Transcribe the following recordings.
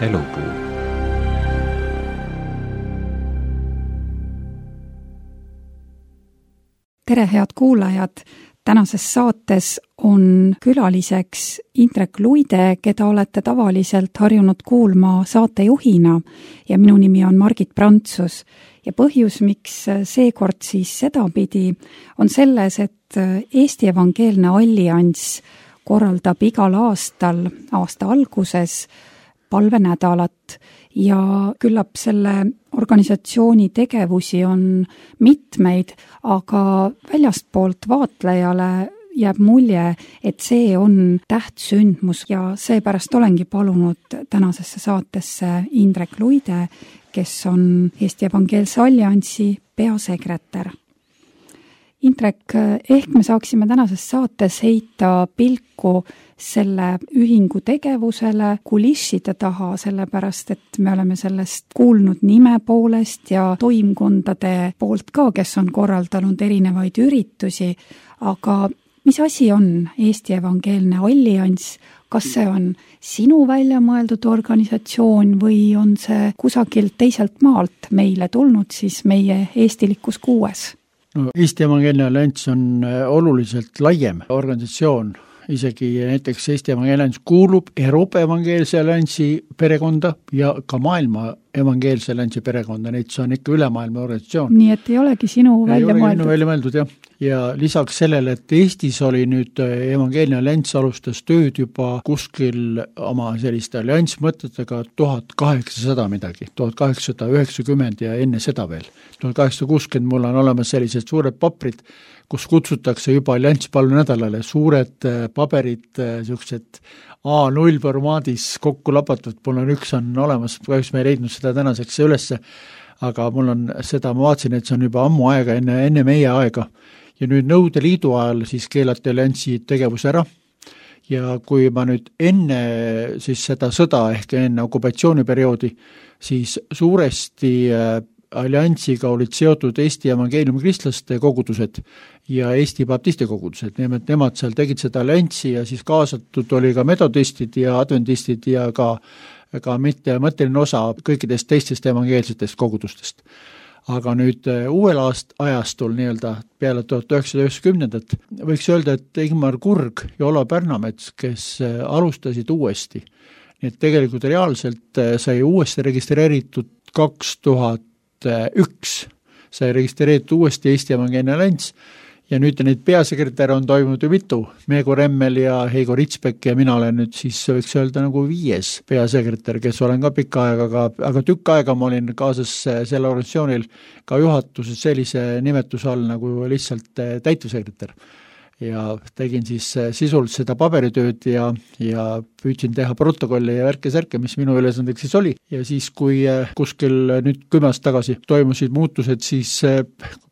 elupuu. Tere, head kuulajad! Tänases saates on külaliseks Indrek Luide, keda olete tavaliselt harjunud kuulma saatejuhina ja minu nimi on Margit Prantsus. Ja põhjus, miks seekord siis sedapidi, on selles, et Eesti Evangeelne Allianss korraldab igal aastal aasta alguses palvenädalat ja küllap selle organisatsiooni tegevusi on mitmeid, aga väljastpoolt vaatlejale jääb mulje, et see on tähtsündmus ja seepärast olengi palunud tänasesse saatesse Indrek Luide, kes on Eesti Evangeelse Alliansi peasekretär. Indrek, ehk me saaksime tänases saates heita pilku selle ühingu tegevusele kulisside taha, sellepärast et me oleme sellest kuulnud nime poolest ja toimkondade poolt ka, kes on korraldanud erinevaid üritusi, aga mis asi on Eesti Evangeelne Allianss? Kas see on sinu välja mõeldud organisatsioon või on see kusagilt teiselt maalt meile tulnud siis meie eestilikus kuues? No, Eesti Evangeelne Allianss on oluliselt laiem organisatsioon, isegi näiteks Eesti Evangeelne Allianss kuulub Euroopa Evangeelse Alliansi perekonda ja ka maailma Evangeelse Alliansi perekonda, neid see on ikka ülemaailma organisatsioon. Nii et ei olegi sinu välja mõeldud, jah. Ja lisaks sellele, et Eestis oli nüüd Evangeelne Allianss alustas tööd juba kuskil oma selliste alliansmõtetega 1800 midagi, 1890 ja enne seda veel. 1860 mul on olemas sellised suured paprid, kus kutsutakse juba allianspalvenädalale suured paberid, sellised A0 formaadis kokku lapatud, mul on üks on olemas, kahjuks me ei leidnud seda tänaseks ülesse, aga mul on seda, ma vaatasin, et see on juba ammu aega, enne meie aega. Ja nüüd Nõude Liidu ajal siis keelati alliansi tegevus ära ja kui ma nüüd enne siis seda sõda ehk enne okupatsiooniperioodi, siis suuresti alliansiga olid seotud Eesti evangeeliumi kristlaste kogudused ja Eesti baptisti kogudused. Nemad seal tegid seda alliansi ja siis kaasatud oli ka metodistid ja adventistid ja ka mitte mõtteline osa kõikidest teistest evangeelsetest kogudustest. Aga nüüd uuel ajastul nii-öelda peale 1990 võiks öelda, et Ingmar Kurg ja Ola Pärnamets, kes alustasid uuesti. Nii et tegelikult reaalselt sai uuesti registreeritud 2001, sai registreeritud uuesti Eesti Evangeelne Allianss ja nüüd neid peasekretär on toimunud ju mitu, Meego Remmel ja Heigo Ritsbek ja mina olen nüüd siis võiks öelda nagu 5. peasekretär, kes olen ka pikka aega, aga tükk aega ma olin kaasas selle organisatsioonil ka juhatuses sellise nimetuse all nagu lihtsalt täitevsekretär. Ja tegin siis sisult seda paberitööd ja püüdsin teha protokolli ja värke-särke, mis minu ülesandeks siis oli. Ja siis, kui kuskil nüüd 10 aastat tagasi toimusid muutused, siis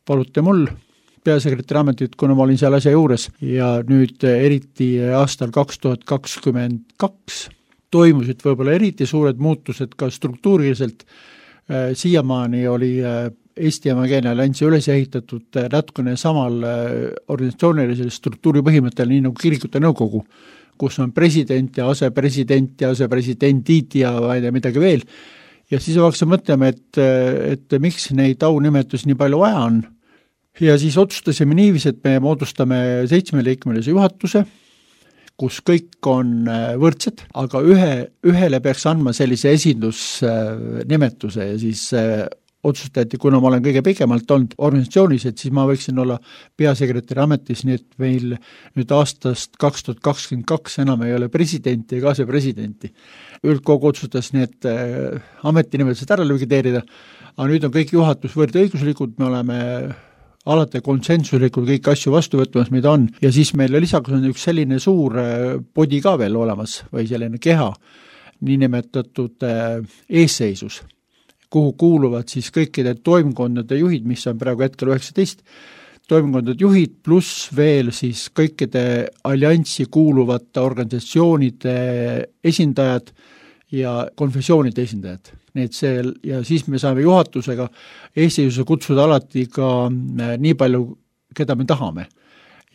paluti mul peasekretäri ametit, kuna ma olin seal asja juures ja nüüd eriti aastal 2022 toimusid võib-olla eriti suured muutused ka struktuuriliselt. Siiamaani oli Eesti Evangeelne Alliansi üles ehitatud natukene samal organisatsioonilisel struktuuri põhimõttel, nii nagu kirikute nõukogu, kus on president ja asepresidendid ja midagi veel. Ja siis hakkasin mõtlema, et miks neid aunimetus nii palju vaja on. Ja siis otsustasime niiviisi, et me moodustame 7-liikmelise juhatuse, kus kõik on võrdsed, aga ühele peaks andma sellise esindusnimetuse ja siis otsustati, kuna ma olen kõige pikemalt olnud organisatsioonis, et siis ma võiksin olla peasekretäri ametis, nii et meil nüüd aastast 2022 enam ei ole presidenti ja asepresidenti. Üldkogu otsustas need ametinimetused ära likvideerida, aga nüüd on kõik juhatus võrdõiguslikud, me oleme alati konsensuslikult kõik asju vastu võtmas, mida on. Ja siis meil lisaks on üks selline suur podi ka veel olemas või selline keha, niinimetatud eesseisus, kuhu kuuluvad siis kõikide toimkondade juhid, mis on praegu hetkel 19, toimkondade juhid pluss veel siis kõikide alliansi kuuluvate organisatsioonide esindajad ja konfessioonide esindajad. Ja siis me saame juhatusega eesseisuse kutsuda alati ka nii palju, keda me tahame.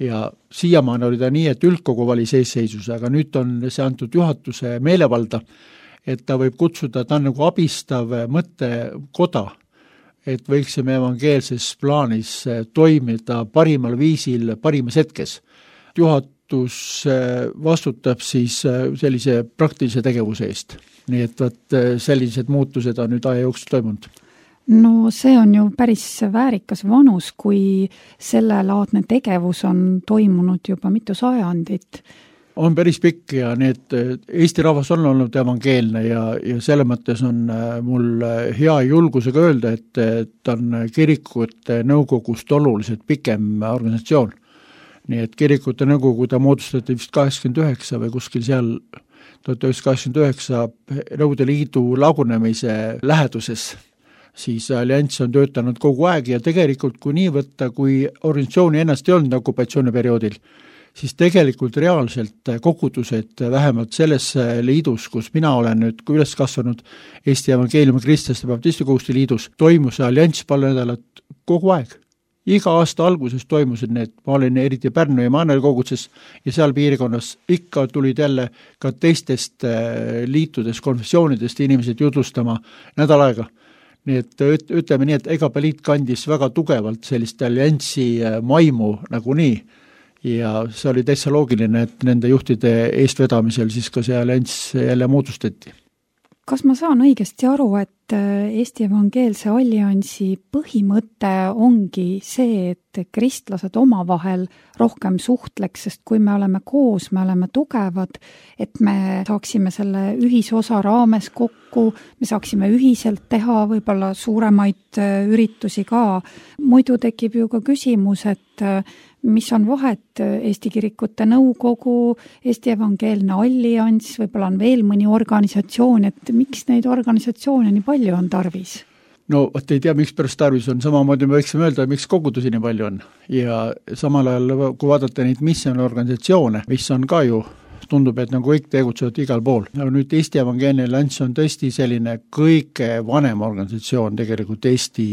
Ja siiamaani oli ta nii, et üldkogu valis eesseisuse, aga nüüd on see antud juhatuse meelevalda, et ta võib kutsuda, ta on nagu abistav mõttekoda, et võiksime evangeelses plaanis toimida parimal viisil, parimas hetkes. Juhatus vastutab siis sellise praktilise tegevuse eest. Nii et sellised muutused on nüüd aja jooksul toimunud. No see on ju päris väärikas vanus, kui sellelaadne tegevus on toimunud juba mitu sajandit. On päris pikk ja need Eesti rahvas on olnud evangeelne ja selle mõttes on mul hea julgusega öelda, et ta on kirikute nõukogust oluliselt pikem organisatsioon. Nii et kirikute nõukogu ta moodustati vist 89 või kuskil seal 1989 Nõukogude Liidu lagunemise läheduses. Siis allianss on töötanud kogu aeg ja tegelikult kui nii võtta, kui organisatsiooni ennast ei olnud okupatsiooniperioodil, siis tegelikult reaalselt kogudused vähemalt selles liidus, kus mina olen nüüd üles kasvanud Eesti Evangeeliumi Kristlaste Baptisti Koguduste Liidus, toimus allianss palju nädalat kogu aeg. Iga aasta alguses toimusid need, ma olin eriti Pärnu ja Maanel koguduses ja seal piirkonnas ikka tulid jälle ka teistest liitudest, konfessioonidest inimesed jutlustama nädal aega. Nii et ütleme nii, et EGP liit kandis väga tugevalt sellist allianssi maimu nagu nii ja see oli täitsa loogiline, et nende juhtide eestvedamisel siis ka see allianss jälle moodustati. Kas ma saan õigesti aru, et Eesti Evangeelse Alliansi põhimõte ongi see, et kristlased omavahel rohkem suhtleks, sest kui me oleme koos, me oleme tugevad, et me saaksime selle ühisosa raames kokku, me saaksime ühiselt teha võib-olla suuremaid üritusi ka. Muidu tekib ju ka küsimus, et mis on vahet Eesti Kirikute Nõukogu, Eesti Evangeelne Allianss, võib-olla on veel mõni organisatsioon, et miks neid organisatsioone nii palju on tarvis? No, ei tea, miks pärast tarvis on, samamoodi me võiksime öelda, miks kogudusi nii palju on. Ja samal ajal, kui vaadata neid missionorganisatsioone, mis on ka ju, tundub, et nagu kõik tegutsevad igal pool. No nüüd Eesti Evangeelne Allianss on tõesti selline kõige vanem organisatsioon tegelikult Eesti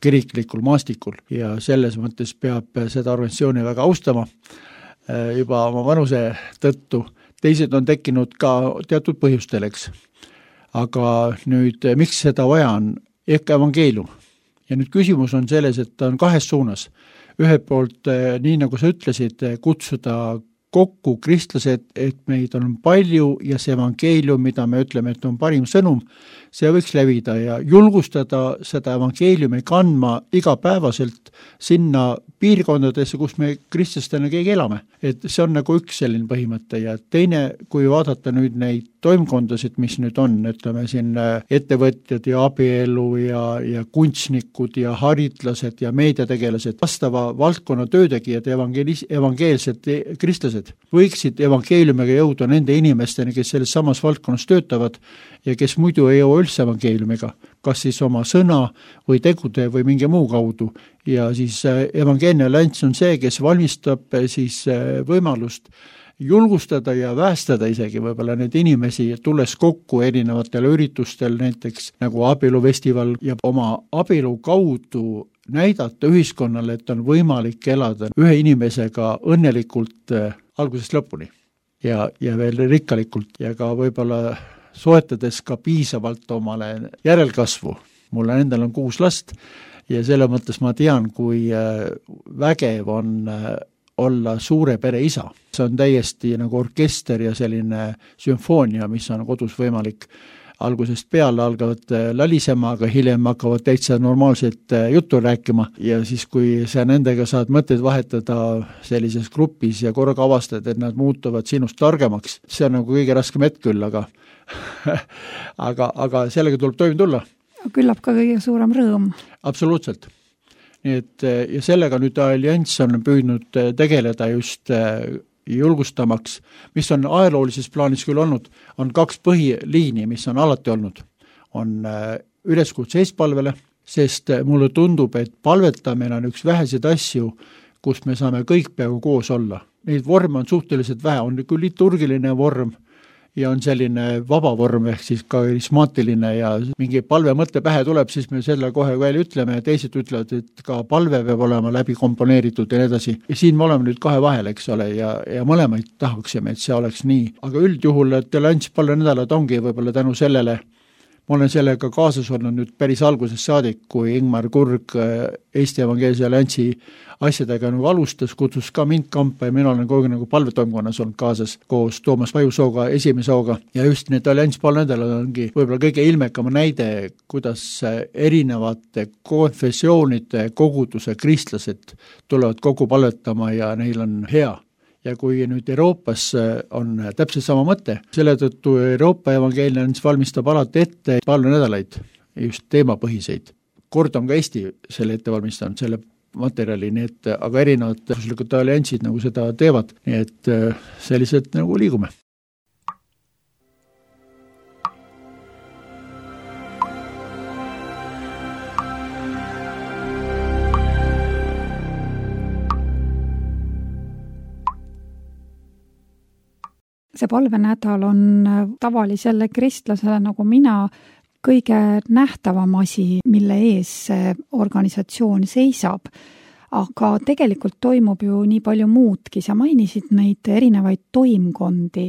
kiriklikul maastikul ja selles mõttes peab seda organisatsiooni väga austama juba oma vanuse tõttu. Teised on tekkinud ka teatud põhjusteleks. Aga nüüd, miks seda vaja on? Ehk evangeelium. Ja nüüd küsimus on selles, et ta on kahes suunas. Ühelt poolt, nii nagu sa ütlesid, kutsuda kokku kristlased, et meid on palju ja see evangeelium, mida me ütleme, et on parim sõnum, see võiks levida ja julgustada seda evangeeliumi kandma igapäevaselt sinna piirkondadesse, kus me kristlastena keegi elame. Et see on nagu üks selline põhimõte ja teine, kui vaadata nüüd neid toimkondasid, mis nüüd on, ütleme siin ettevõtjad ja abielu ja kunstnikud ja haritlased ja meediategelased, vastava valdkonna töötegijad ja evangeelsed kristlased võiksid evangeeliumiga jõuda nende inimesteni, kes selles samas valdkonnas töötavad ja kes muidu ei jõua üldse evangeeliumiga, kas siis oma sõna või tegude või mingi muu kaudu. Ja siis Evangeelne Allianss on see, kes valmistab siis võimalust julgustada ja väestada isegi võib-olla neid inimesi, tulles kokku erinevatel üritustel, näiteks nagu abielufestival ja oma abielu kaudu näidata ühiskonnale, et on võimalik elada ühe inimesega õnnelikult algusest lõpuni ja veel rikkalikult ja ka võib-olla soetades ka piisavalt omale järelkasvu. Mulle endal on 6 last ja selle mõttes ma tean, kui vägev on olla suure pere isa. See on täiesti nagu orkester ja selline sümfoonia, mis on kodus võimalik. Algusest peale algavad lalisema, aga hiljem hakkavad täitsa normaalset juttu rääkima ja siis, kui sa nendega saad mõtteid vahetada sellises grupis ja korraga avastad, et nad muutuvad sinust targemaks, see on nagu kõige raskem hetk küll, aga sellega tuleb toime tulla. Küllap ka kõige suurem rõõm. Absoluutselt. Nii et, ja sellega nüüd allianss on püüdnud tegeleda just julgustamaks, mis on ajaloolises plaanis küll olnud, on 2 põhiliini, mis on alati olnud. On üleskutse eestpalvele, sest mulle tundub, et palvetamine on üks väheseid asju, kus me saame kõik peaaegu koos olla. Neid vorme on suhteliselt vähe, on küll liturgiline vorm ja on selline vabavorm ehk siis karismaatiline ja mingi palve mõte pähe tuleb, siis me selle kohe välja ütleme ja teised ütlevad, et ka palve peab olema läbi komponeeritud ja nii edasi. Ja siin me oleme nüüd kahe vahel, eks ole, ja mõlemaid tahaksime, et see oleks nii. Aga üldjuhul tolerants palvenädalad ongi võib-olla tänu sellele, ma olen sellega kaasas olnud nüüd päris algusest saadik, kui Ingmar Kurg Eesti Evangeelse Alliansi asjadega nagu alustas, kutsus ka mind kampa ja mina olen kogu nagu palvetoimkonnas olnud kaasas koos Toomas Vajusooga, esimesooga ja just need allianss palvenädalad ongi võib-olla kõige ilmekama näide, kuidas erinevate konfessioonide koguduse kristlased tulevad kokku palvetama ja neil on hea. Ja kui nüüd Euroopas on täpselt sama mõte, selle tõttu Euroopa Evangeelne valmistab alati ette palvenädalaid, just teemapõhiseid. Kord on ka Eesti selle ette valmistanud, selle materjali, nii et aga erinevad alliansid nagu seda teevad, nii et sellised nagu liigume. See palvenädal on tavalisele kristlasele nagu mina kõige nähtavam asi, mille ees see organisatsioon seisab. Aga tegelikult toimub ju nii palju muudki. Sa mainisid neid erinevaid toimkondi.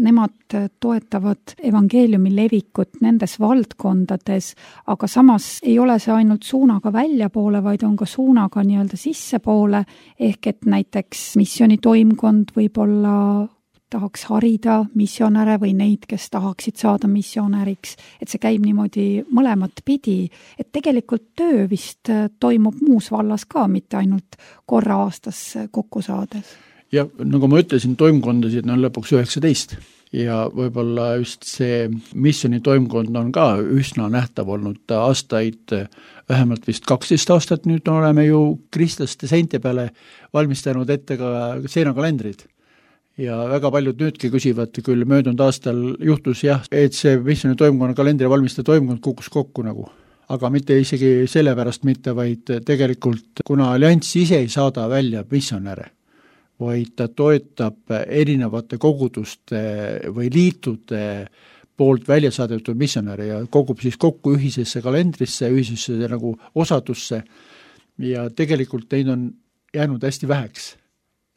Nemad toetavad evangeeliumi levikut nendes valdkondades, aga samas ei ole see ainult suunaga väljapoole, vaid on ka suunaga nii-öelda sissepoole, ehk et näiteks missiooni toimkond võib olla tahaks harida missionäre või neid, kes tahaksid saada missionäriks, et see käib niimoodi mõlemat pidi, et tegelikult töö vist toimub muus vallas ka, mitte ainult korra aastas kokku saades. Ja nagu ma ütlesin, toimkondasid on lõpuks 19 ja võib-olla just see missiooni toimkond on ka üsna nähtav olnud aastaid, vähemalt vist 12 aastat nüüd oleme ju kristlaste seinte peale valmistanud ette ka seinakalendrid. Ja väga paljud nüüdki küsivad, küll möödunud aastal juhtus jah, et see missiooni toimkonna kalendri valmistaja toimkond kukkus kokku nagu. Aga mitte isegi sellepärast mitte, vaid tegelikult kuna allianss ise ei saada välja missionäre, vaid ta toetab erinevate koguduste või liitude poolt välja saadetud missionäre ja kogub siis kokku ühisesse kalendrisse, ühisesse nagu osadusse ja tegelikult neid on jäänud hästi väheks.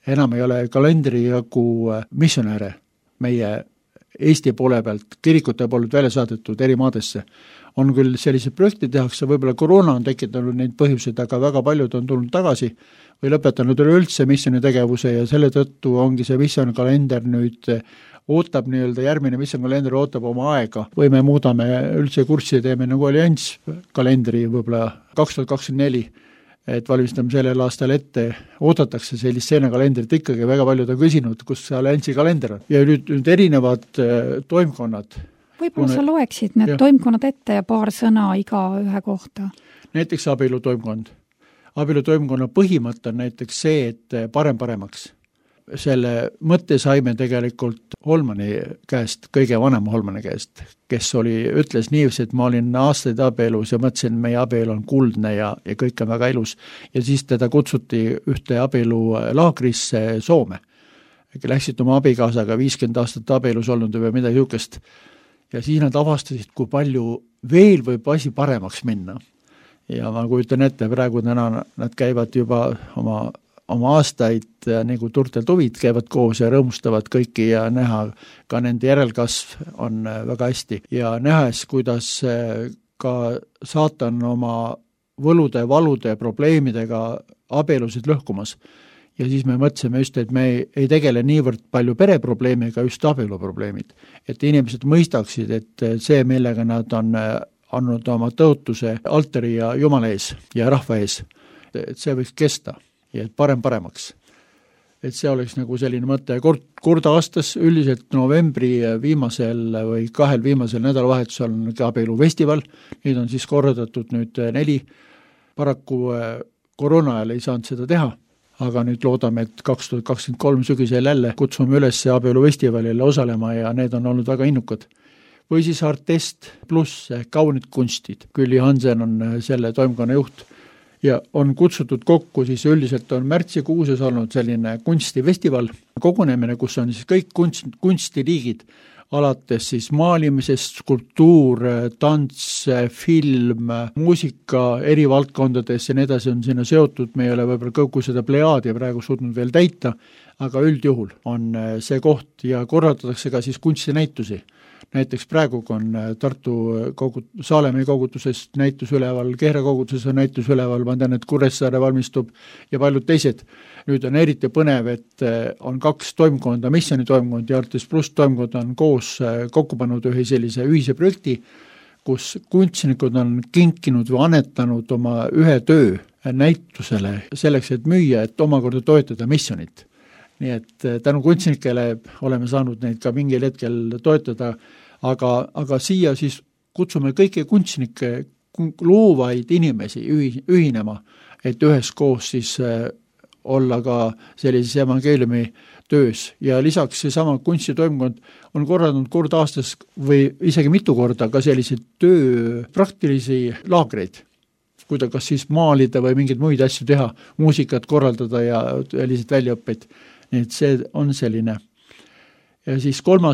Enam ei ole kalendri jagu missionäre meie Eesti poole pealt, kirikute poolt välja saadetud eri maadesse. On küll sellised projekti tehakse, võib-olla koroona on tekitanud neid põhjuseid, aga väga paljud on tulnud tagasi või lõpetanud üleüldse missiooni tegevuse ja selle tõttu ongi see missiooni kalender nüüd ootab nii-öelda, järgmine missiooni kalender ootab oma aega või me muudame üldse kurssi, teeme nagu allianss kalendri võib-olla 2024, et valmistame sellel aastal ette, oodatakse sellist seinakalendrit ikkagi, väga paljud on küsinud, kus see alliansi kalender on. Ja nüüd erinevad toimkonnad. Võib-olla sa loeksid need toimkonnad ette ja paar sõna iga ühe kohta. Näiteks abielutoimkond. Abielutoimkonna põhimõte on näiteks see, et paremaks. Selle mõtte saime tegelikult Holmani käest, kõige vanema Holmani käest, kes ütles niiviisi, et ma olin aastaid abielus ja mõtlesin, et meie abielu on kuldne ja kõik on väga ilus. Ja siis teda kutsuti ühte abielulaagrisse Soome. Läksid oma abikaasaga 50 aastat abielus olnud või midagi niisugust. Ja siis nad avastasid, kui palju veel võib asi paremaks minna. Ja ma kujutan ette, praegu täna nad käivad juba oma aastaid nagu turtel tuvid käivad koos ja rõõmustavad kõiki ja näha ka nende järelkasv on väga hästi. Ja nähes, kuidas ka saatan oma võlude, valude, probleemidega abielusid lõhkumas. Ja siis me mõtlesime just, et me ei tegele niivõrd palju pereprobleemiga, just abieluprobleemid. Et inimesed mõistaksid, et see, millega nad on andnud oma tõotuse altari ja Jumala ees ja rahva ees, et see võiks kesta. Ja et paremaks. Et see oleks nagu selline mõte. Kord aastas üldiselt novembri viimasel või 2 viimasel nädalavahetusel on abielufestival. Neid on siis korraldatud nüüd 4. Paraku koroona ajal ei saanud seda teha, aga nüüd loodame, et 2023 sügisel jälle kutsume üles abielufestivalile osalema ja need on olnud väga innukad. Või siis Artest pluss kaunid kunstid. Külli Hansen on selle toimkonna juht. Ja on kutsutud kokku, siis üldiselt on märtsikuuses olnud selline kunstifestival, kogunemine, kus on siis kõik kunstiliigid alates siis maalimisest, skulptuur, tants, film, muusika eri valdkondades ja nii edasi on sinna seotud, me ei ole võib-olla kogu seda plejaadi praegu suutnud veel täita, aga üldjuhul on see koht ja korraldatakse ka siis kunstinäitusi. Näiteks praegu on Tartu Saalemii kogutusest näitus üleval, Kehra kogutuses on näitus üleval, ma tean, et Kuressaare valmistub ja paljud teised. Nüüd on eriti põnev, et on 2 toimkonda, Missioni toimkond ja Artes Plus toimkond on koos kokku pannud ühe sellise ühise projekti, kus kunstnikud on kinkinud või annetanud oma ühe töö näitusele selleks, et müüa, et omakorda toetada Missionit. Nii et tänu kunstnikele oleme saanud neid ka mingil hetkel toetada, aga siia siis kutsume kõiki kunstnikke, loovaid inimesi ühinema, et üheskoos siis olla ka sellises evangeeliumi töös. Ja lisaks seesama kunstitoimkond on korraldanud kord aastas või isegi mitu korda ka selliseid töö praktilisi laagreid, kuida kas siis maalida või mingeid muid asju teha, muusikat korraldada ja selliseid väljaõppeid. Nii et see on selline. Ja siis 3,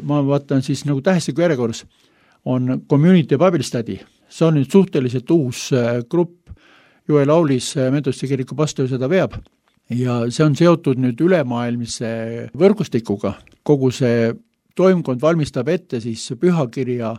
ma vaatan siis nagu tähestiku järjekorras, on Community Bible Study. See on nüüd suhteliselt uus grupp, Joel Aulis Metodiste kiriku pastor seda veab ja see on seotud nüüd ülemaailmise võrgustikuga. Kogu see toimkond valmistab ette siis pühakirja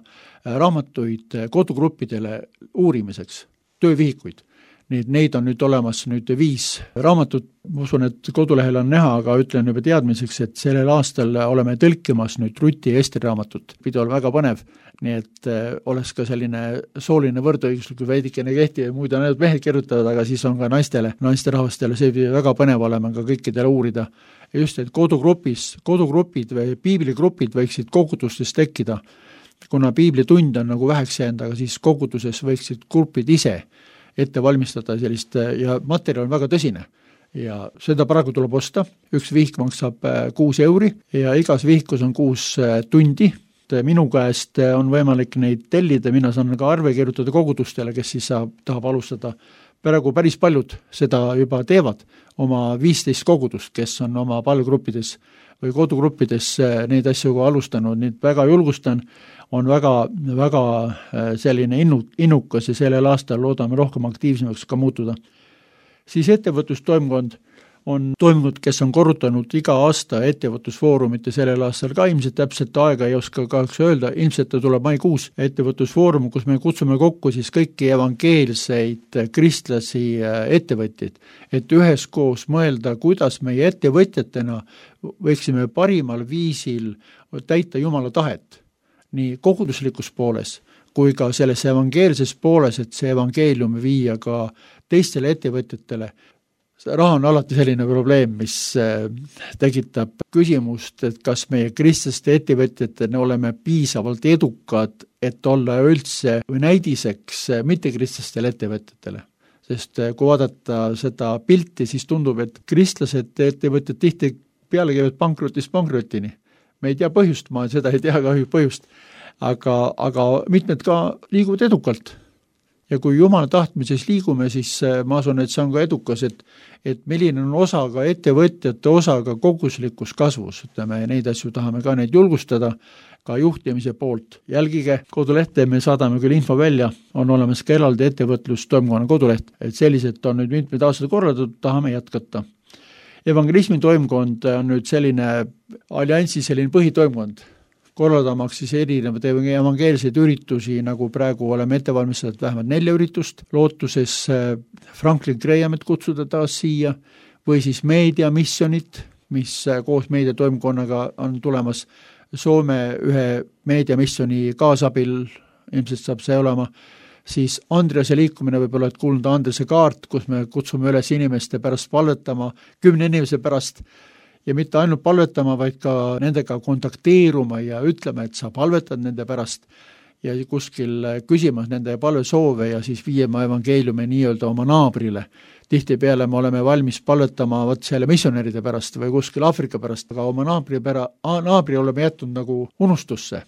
raamatuid kodugruppidele uurimiseks, töövihikuid. Neid on nüüd olemas 5 raamatut, ma usun, et kodulehel on näha, aga ütlen juba teadmiseks, et sellel aastal oleme tõlkimas nüüd Ruti ja Esteri raamatut. Pidi olla väga põnev, nii et oleks ka selline sooline võrdõiguslik veidikene kehti ja muid on need mehed kirjutavad, aga siis on ka naisterahvastele, see pidi väga põnev olema ka kõikidele uurida. Ja just, et kodugrupid või piibligrupid võiksid kogudustes tekkida, kuna piiblitund on nagu väheks jäänud, aga siis koguduses võiksid grupid ise ette valmistada sellist ja materjal on väga tõsine ja seda praegu tuleb osta, üks vihik maksab 6 euri ja igas vihikus on 6 tundi. Minu käest on võimalik neid tellida, mina saan ka arve kirjutada kogudustele, kes siis tahab alustada. Praegu päris paljud seda juba teevad, oma 15 kogudust, kes on oma palvegruppides või kodugruppides neid asju alustanud, nii väga julgustan, on väga selline innukas ja sellel aastal loodame rohkem aktiivsemaks ka muutuda. Siis ettevõtlustoimkond on toimunud, kes on korrutanud iga aasta ettevõtlusfoorumit ja sellel aastal ka ilmselt täpselt aega ei oska kahjuks öelda, ilmselt tuleb maikuus ettevõtlusfoorum, kus me kutsume kokku siis kõiki evangeelseid kristlasi ettevõtjaid, et üheskoos mõelda, kuidas meie ettevõtjatena võiksime parimal viisil täita Jumala tahet, nii koguduslikus pooles kui ka selles evangeelses pooles, et see evangeelium viia ka teistele ettevõtjatele. Raha on alati selline probleem, mis tekitab küsimust, et kas meie kristlaste ettevõtjatena oleme piisavalt edukad, et olla üldse või näidiseks mittekristlastel ettevõtjatele. Sest kui vaadata seda pilti, siis tundub, et kristlased ettevõtjad tihti peale käivad pankrotini. Me ei tea põhjust, ma seda ei tea kahju põhjust, aga mitmed ka liiguvad edukalt. Ja kui Jumala tahtmises liigume, siis ma asun, et see on ka edukas, et milline on osa ka ettevõtjate osa ka koguslikus kasvus. Ütleme, neid asju tahame ka neid julgustada ka juhtimise poolt. Jälgige kodulehte, me saadame küll info välja, on olemas ka eraldi ettevõtlustoimkonna koduleht, et sellised on nüüd mitmed aastad korraldatud, tahame jätkata. Evangelismi toimkond on nüüd selline alliansi selline põhitoimkond, korraldamaks siis erinevad evangeelseid üritusi, nagu praegu oleme ette valmistatud vähemalt 4 üritust, lootuses Franklin Grahamit kutsuda taas siia, või siis meediamissionit, mis koos meediatoimkonnaga on tulemas Soome ühe meediamissioni kaasabil, ilmselt saab see olema, siis Andrease liikumine võib olla, et kuulnud Andrease kaart, kus me kutsume üles inimeste pärast palvetama, 10 inimese pärast, ja mitte ainult palvetama, vaid ka nendega kontakteeruma ja ütlema, et sa palvetad nende pärast ja kuskil küsimas nende palvesoove ja siis viima evangeeliumi nii-öelda oma naabrile. Tihtipeale me oleme valmis palvetama selle missionäride pärast või kuskil Aafrika pärast, aga oma naabri oleme jätnud nagu unustusse.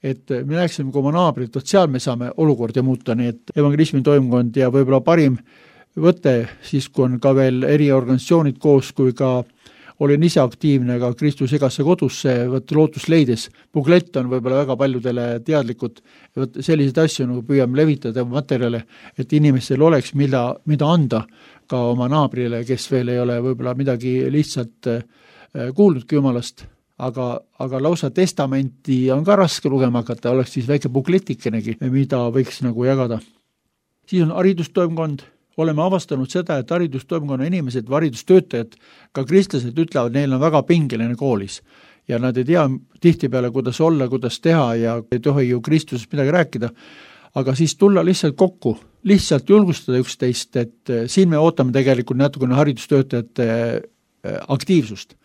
Et me näeksime kui oma naabrit, et seal me saame olukorda muuta, nii et evangelismi toimkond ja võib-olla parim võte, siis kui on ka veel eriorganisatsioonid koos, kui ka olin ise aktiivne ka Kristus igasse kodusse, lootust leides. Buklett on võib-olla väga paljudele teadlikud, selliseid asju nagu püüame levitada materjale, et inimestel oleks mida anda ka oma naabrile, kes veel ei ole võib-olla midagi lihtsalt kuulnudki Jumalast, aga lausa testamenti on ka raske lugema hakata, oleks siis väike bukletikenegi, mida võiks nagu jagada. Siis on haridustoimkond. Oleme avastanud seda, et haridustoimkonna inimesed või haridustöötajad, ka kristlased ütlevad, neil on väga pingeline koolis ja nad ei tea tihtipeale, kuidas olla, kuidas teha ja ei tohi ju Kristusest midagi rääkida, aga siis tulla lihtsalt kokku, lihtsalt julgustada üksteist, et siin me ootame tegelikult natukene haridustöötajate aktiivsust,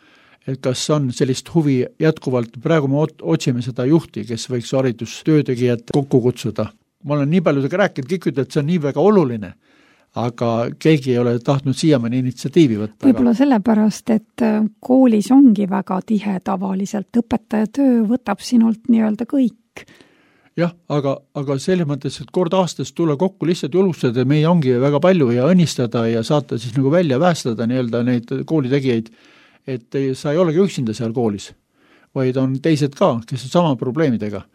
et kas on sellist huvi jätkuvalt, praegu me otsime seda juhti, kes võiks haridustöötegijat kokku kutsuda. Ma olen nii paljudega rääkinud, kõik ütlevad, et see on nii väga oluline, aga keegi ei ole tahtnud siiamaani initsiatiivi võtta. Võib-olla sellepärast, et koolis ongi väga tihe tavaliselt, õpetaja töö võtab sinult nii-öelda kõik. Jah, aga selles mõttes, et kord aastas tulla kokku lihtsalt julgustada, meil ongi väga palju ja õnnistada ja saata siis nagu välja päästada nii-öelda neid koolitegijaid, et sa ei olegi üksinda seal koolis, vaid on teised ka, kes on sama probleemidega.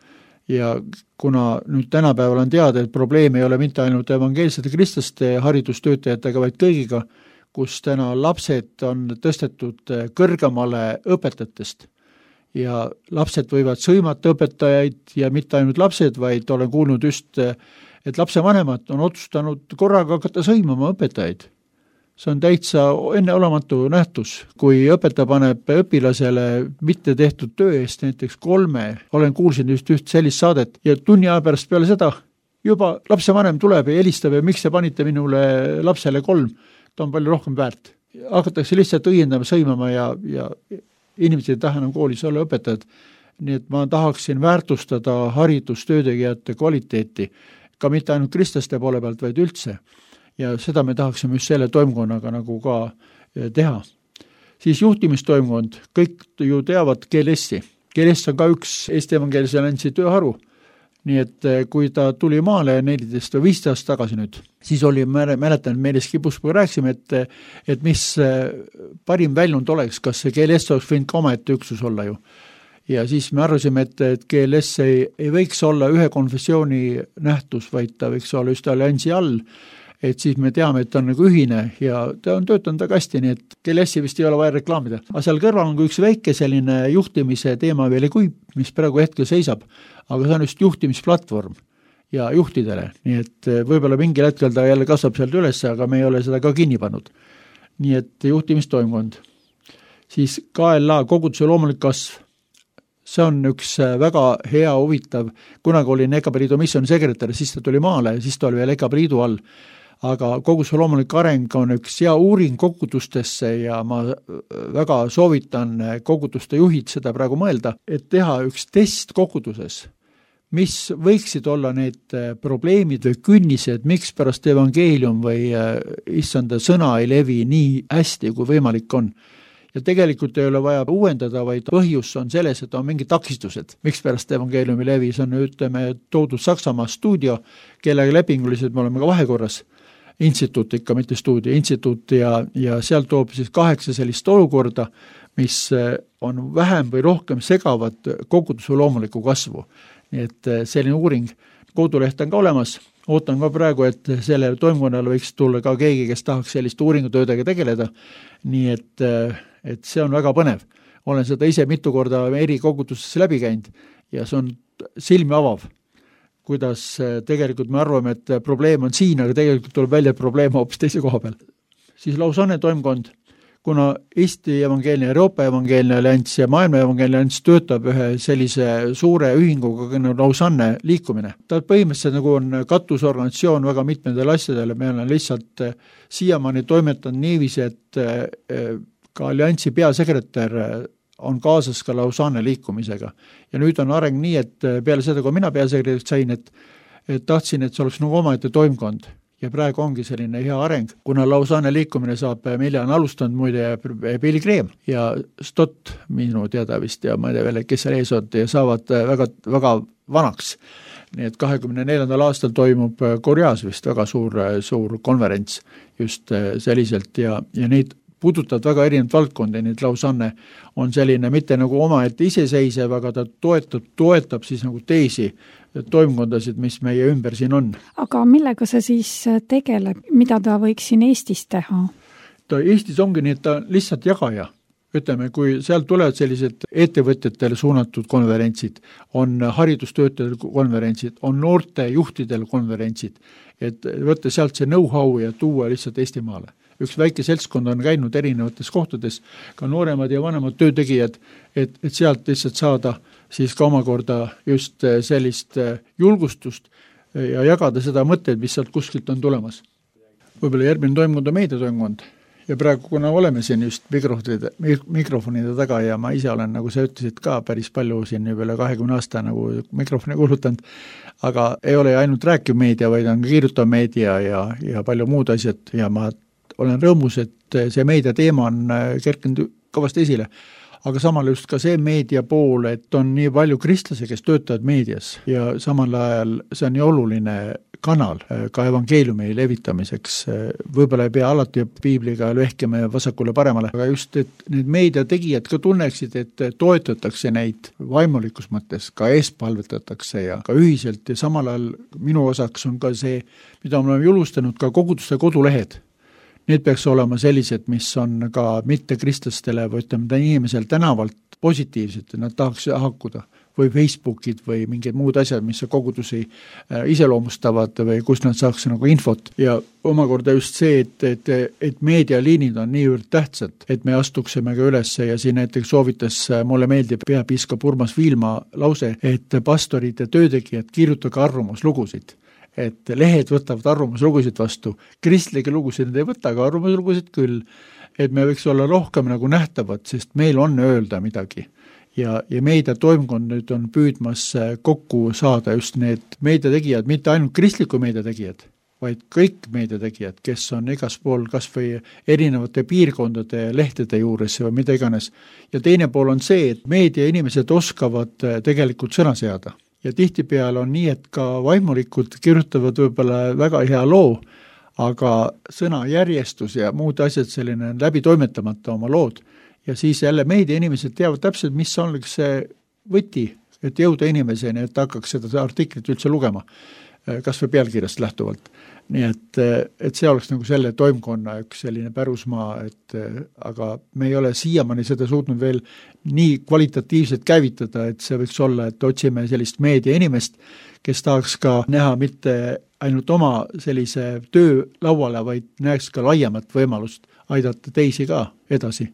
Ja kuna nüüd tänapäeval on teada, et probleem ei ole mitte ainult evangeelsete kristlaste haridustöötajatega, vaid kõigiga, kus täna lapsed on tõstetud kõrgemale õpetajatest ja lapsed võivad sõimata õpetajaid ja mitte ainult lapsed, vaid olen kuulnud just, et lapsevanemad on otsustanud korraga hakata sõimama õpetajaid. See on täitsa enneolematu nähtus, kui õpetaja paneb õpilasele mitte tehtud töö eest näiteks 3, olen kuulsin just sellist saadet ja tunni aja pärast peale seda juba lapsevanem tuleb ja helistab ja miks te panite minule lapsele 3, ta on palju rohkem väärt. Hakatakse lihtsalt õiendama, sõimama ja inimesed ei taha enam koolis olla õpetajad. Nii et ma tahaksin väärtustada haridustöötegijate kvaliteeti, ka mitte ainult kristlaste poole pealt, vaid üldse. Ja seda me tahaksime just selle toimkonnaga nagu ka teha. Siis juhtimistoimkond, kõik ju teavad GLS-i. GLS on ka üks Eesti Evangeelse Alliansi tööharu. Nii et kui ta tuli maale 14 või 15 aastat tagasi nüüd, siis oli, mäletan, meeles Kipuspuga rääksime, et mis parim väljund oleks, kas see GLS oleks võinud ka omaette üksus olla ju. Ja siis me arvasime, et GLS ei võiks olla ühe konfessiooni nähtus, vaid ta võiks olla just alliansi all, et siis me teame, et ta on nagu ühine ja ta on töötanud väga hästi, nii et GLS-i vist ei ole vaja reklaamida. Aga seal kõrval on üks väike selline juhtimise teema veel ei kuib, mis praegu hetkel seisab, aga see on just juhtimisplatvorm ja juhtidele, nii et võib-olla mingil hetkel ta jälle kasvab sealt üles, aga me ei ole seda ka kinni pannud. Nii et juhtimistoimkond. Siis KLA, koguduse loomulik kasv. See on üks väga hea, huvitav, kunagi oli EKP Liidu missiooni sekretär, siis ta tuli maale ja siis ta oli veel EKP Liidu all. Aga koguduse loomulik areng on üks hea uuring kogudustesse ja ma väga soovitan koguduste juhid seda praegu mõelda, et teha üks test koguduses, mis võiksid olla need probleemid või künnised, miks pärast evangeelium või issanda sõna ei levi nii hästi, kui võimalik on. Ja tegelikult ei ole vaja uuendada, vaid põhjus on selles, et on mingid takistused. Miks pärast evangeeliumi levi, see on ütleme toodud Saksamaa stuudio, kellega lepingulised me oleme ka vahekorras. Instituut ikka, mitte stuudio, instituut ja seal toob siis 8 sellist olukorda, mis on vähem või rohkem segavad koguduse loomuliku kasvu. Nii et selline uuring, koduleht on ka olemas, ootan ka praegu, et selle toimkonnal võiks tulla ka keegi, kes tahaks sellist uuringutöödega tegeleda, nii et see on väga põnev. Olen seda ise mitu korda eri kogudusesse läbi käinud ja see on silmi avav, kuidas tegelikult me arvame, et probleem on siin, aga tegelikult tuleb välja probleem hoopis teise koha peal. Siis Lausanne toimkond, kuna Eesti evangeelne, Euroopa evangeelne allianss ja maailma evangeelne allianss töötab ühe sellise suure ühinguga Lausanne liikumine. Ta põhimõtteliselt nagu on katusorganisatsioon väga mitmendele asjadele, me oleme lihtsalt siiamaani toimetanud niiviisi, et ka alliansi peasekretär on kaasas ka Lausanne liikumisega. Ja nüüd on areng nii, et peale seda, kui mina peasekretäriks sain, et tahtsin, et see oleks nagu omaette toimkond. Ja praegu ongi selline hea areng, kuna Lausanne liikumine saab, mille on alustanud muide Pilgrim ja Stott minu teada vist ja ma ei tea veel, kes seal ees on ja saavad väga, väga vanaks. Nii et 24. aastal toimub Koreas vist väga suur konverents just selliselt ja neid puudutavad väga erinevad valdkondi, nii et lausanne on selline mitte nagu omaette iseseisev, aga ta toetab siis nagu teisi toimkondasid, mis meie ümber siin on. Aga millega see siis tegeleb, mida ta võiks siin Eestis teha? Ta Eestis ongi nii, et ta lihtsalt jagaja. Ütleme, kui sealt tulevad sellised ettevõtjatele suunatud konverentsid, on haridustöötajate konverentsid, on noorte juhtidel konverentsid, et võtta sealt see know-how ja tuua lihtsalt Eestimaale. Üks väike seltskond on käinud erinevates kohtades, ka nooremad ja vanemad töötegijad, et sealt lihtsalt saada siis ka omakorda just sellist julgustust ja jagada seda mõtteid, mis sealt kuskilt on tulemas. Võib-olla järgmine toimkond on meediatoimkond. Ja praegu, kuna oleme siin just mikrofonide taga ja ma ise olen, nagu sa ütlesid ka, päris palju siin juba üle 20 aasta nagu mikrofoni kuulutanud, aga ei ole ainult rääkiv meedia, vaid on kirjutav meedia ja palju muud asjad ja ma olen rõõmus, et see meedia teema on kerkinud kõvasti esile. Aga samal just ka see meedia pool, et on nii palju kristlasi, kes töötavad meedias ja samal ajal see on nii oluline kanal ka evangeeliumi levitamiseks. Võib-olla ei pea alati piibliga vehkima vasakule paremale, aga just, et need meediategijad ka tunneksid, et toetatakse neid vaimulikus mõttes, ka eespalvetatakse ja ka ühiselt ja samal ajal minu osaks on ka see, mida me oleme julustanud ka koguduste kodulehed. Need peaks olema sellised, mis on ka mitte kristlastele või ütleme inimesel tänavalt positiivsed, nad tahaks hakkuda või Facebookid või mingid muud asjad, mis kogudusi iseloomustavad või kus nad saaks nagu infot. Ja omakorda just see, et meedialiinid on niivõrd tähtsad, et me astuksime ka üles ja siin näiteks soovitas, mulle meeldib peapiiskop Urmas Viilma lause, et pastorid ja töötegijad kirjutage arvamuslugusid. Et lehed võtavad arvamuslugusid vastu. Kristlike lugusid ei võta, aga arvamuslugusid küll. Et me võiks olla rohkem nagu nähtavad, sest meil on öelda midagi. Ja meediatoimkond nüüd on püüdmas kokku saada just need meediategijad, mitte ainult kristliku meediategijad, vaid kõik meediategijad, kes on igas pool kas või erinevate piirkondade lehtede juures või mida iganes. Ja teine pool on see, et meediainimesed oskavad tegelikult sõna seada. Ja tihtipeale on nii, et ka vaimulikud kirjutavad võib-olla väga hea loo, aga sõna järjestus ja muud asjad selline läbi toimetamata oma lood. Ja siis jälle meediainimesed teavad täpselt, mis on see võti, et jõuda inimeseni, et hakkaks seda artiklit üldse lugema, kas või pealkirjast lähtuvalt. Nii et see oleks nagu selle toimkonna üks selline pärusmaa, aga me ei ole siiamaani seda suutnud veel nii kvalitatiivselt käivitada, et see võiks olla, et otsime sellist meedia inimest, kes tahaks ka näha mitte ainult oma sellise töö lauale, vaid näeks ka laiemat võimalust aidata teisi ka edasi.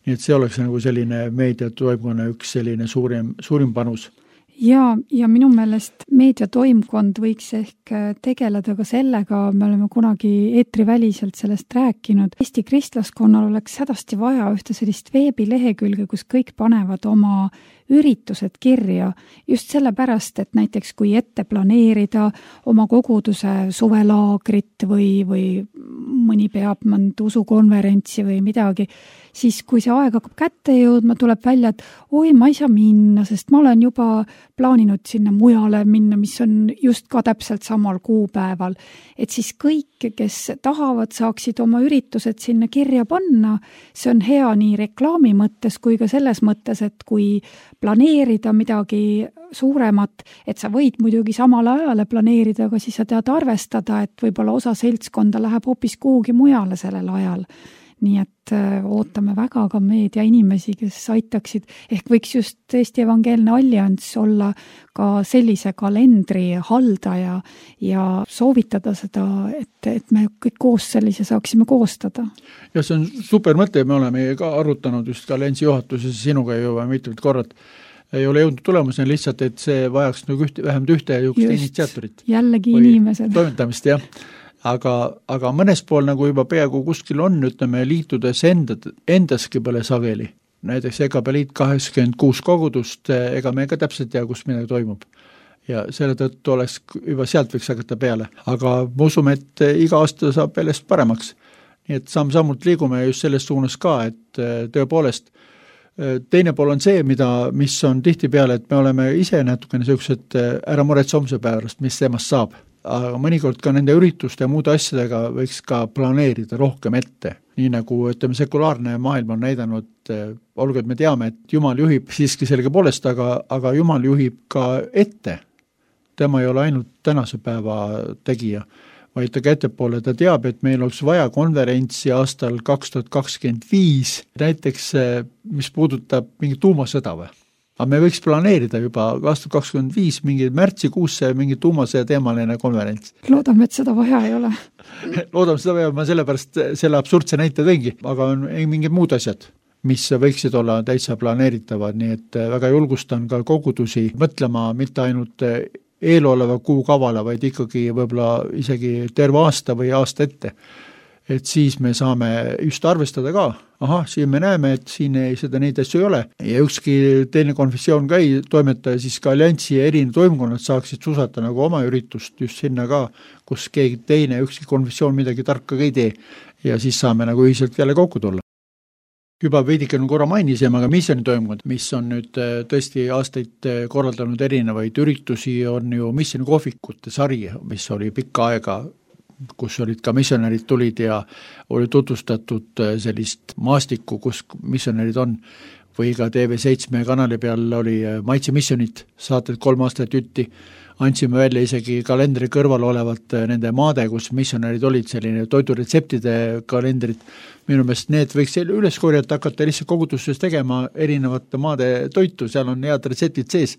Nii et see oleks nagu selline meediatoimkonna üks selline suurim panus. Ja minu meelest meediatoimkond võiks ehk tegeleda ka sellega, me oleme kunagi eetriväliselt sellest rääkinud. Eesti kristlaskonnal oleks hädasti vaja ühte sellist veebilehekülge, kus kõik panevad oma üritused kirja. Just sellepärast, et näiteks kui ette planeerida oma koguduse suvelaagrit või mõni peab mõnd usukonverentsi või midagi, siis kui see aeg hakkab kätte jõudma, tuleb välja, et oi, ma ei saa minna, sest ma olen juba plaaninud sinna mujale minna, mis on just ka täpselt samal kuupäeval. Et siis kõik, kes tahavad, saaksid oma üritused sinna kirja panna. See on hea nii reklaami mõttes kui ka selles mõttes, et kui planeerida midagi suuremat, et sa võid muidugi samal ajale planeerida, aga siis sa tead arvestada, et võib-olla osa seltskonda läheb hoopis kuhugi mujale sellel ajal. Nii et ootame väga ka meedia inimesi, kes aitaksid, ehk võiks just Eesti Evangeelne Allianss olla ka sellise kalendri haldaja ja soovitada seda, et me kõik koos sellise saaksime koostada. Ja see on super mõte, me oleme ka arutanud just ka Alliansi juhatuses sinuga juba mitmed korrad. Ei ole jõudnud tulemusena lihtsalt, et see vajaks nagu vähemalt ühte initsiaatorit. Jällegi inimesed. Toimetamist, jah. Aga mõnes pool nagu juba peaaegu kuskil on, ütleme, liitudes endaski pole sageli. Näiteks EKP liit 86 kogudust, ega me ka täpselt tea, kus midagi toimub. Ja selle tõttu oleks juba sealt võiks hakata peale. Aga ma usume, et iga aasta saab sellest paremaks. Nii et samm-sammult liigume just selles suunas ka, et tõepoolest teine pool on see, mis on tihti peale, et me oleme ise natukene sellised ära muretse homse päevast, mis temast saab. Aga mõnikord ka nende ürituste ja muude asjadega võiks ka planeerida rohkem ette. nii nagu ütleme, sekulaarne maailm on näidanud, olgu, et me teame, et Jumal juhib siiski selge poolest, aga Jumal juhib ka ette. Tema ei ole ainult tänase päeva tegija, vaid ta ka ettepoole, ta teab, et meil oleks vaja konverentsi aastal 2025, näiteks mis puudutab mingit tuumasõda või. Aga me võiks planeerida juba 2025 mingi märtsikuusse mingi tuumasõja teemaline konverents. Loodame, et seda vaja ei ole. Loodame seda vaja, ma sellepärast selle absurdse näite tõingi, aga on mingid muud asjad, mis võiksid olla täitsa planeeritavad, nii et väga julgustan ka kogudusi mõtlema mitte ainult eeloleva kuukavale, vaid ikkagi võib-olla isegi terve aasta või aasta ette. Et siis me saame just arvestada ka, siin me näeme, et siin seda neid asju ei ole ja ükski teine konfessioon ka ei toimeta ja siis ka alliansi ja erinevad toimkonnad saaksid susata nagu oma üritust just sinna ka, kus keegi teine, ükski konfessioon midagi tarka ei tee ja siis saame nagu ühiselt jälle kokku tulla. Juba veidike korra mainisime, aga missionitoimkond, mis on nüüd tõesti aastaid korraldanud erinevaid üritusi, on ju missionikohvikute sari, mis oli pikka aega, kus olid ka missionärid tulid ja oli tutvustatud sellist maastikku, kus missionärid on, või ka TV7 kanali peal oli Maitse missionid, saated 3 aastat jutti, andsime välja isegi kalendri kõrval olevat nende maade, kus missionärid olid, selline toiduretseptide kalendrid. Minu meelest need võiks üles korjata, hakata lihtsalt koguduses tegema erinevate maade toitu, seal on head retseptid sees.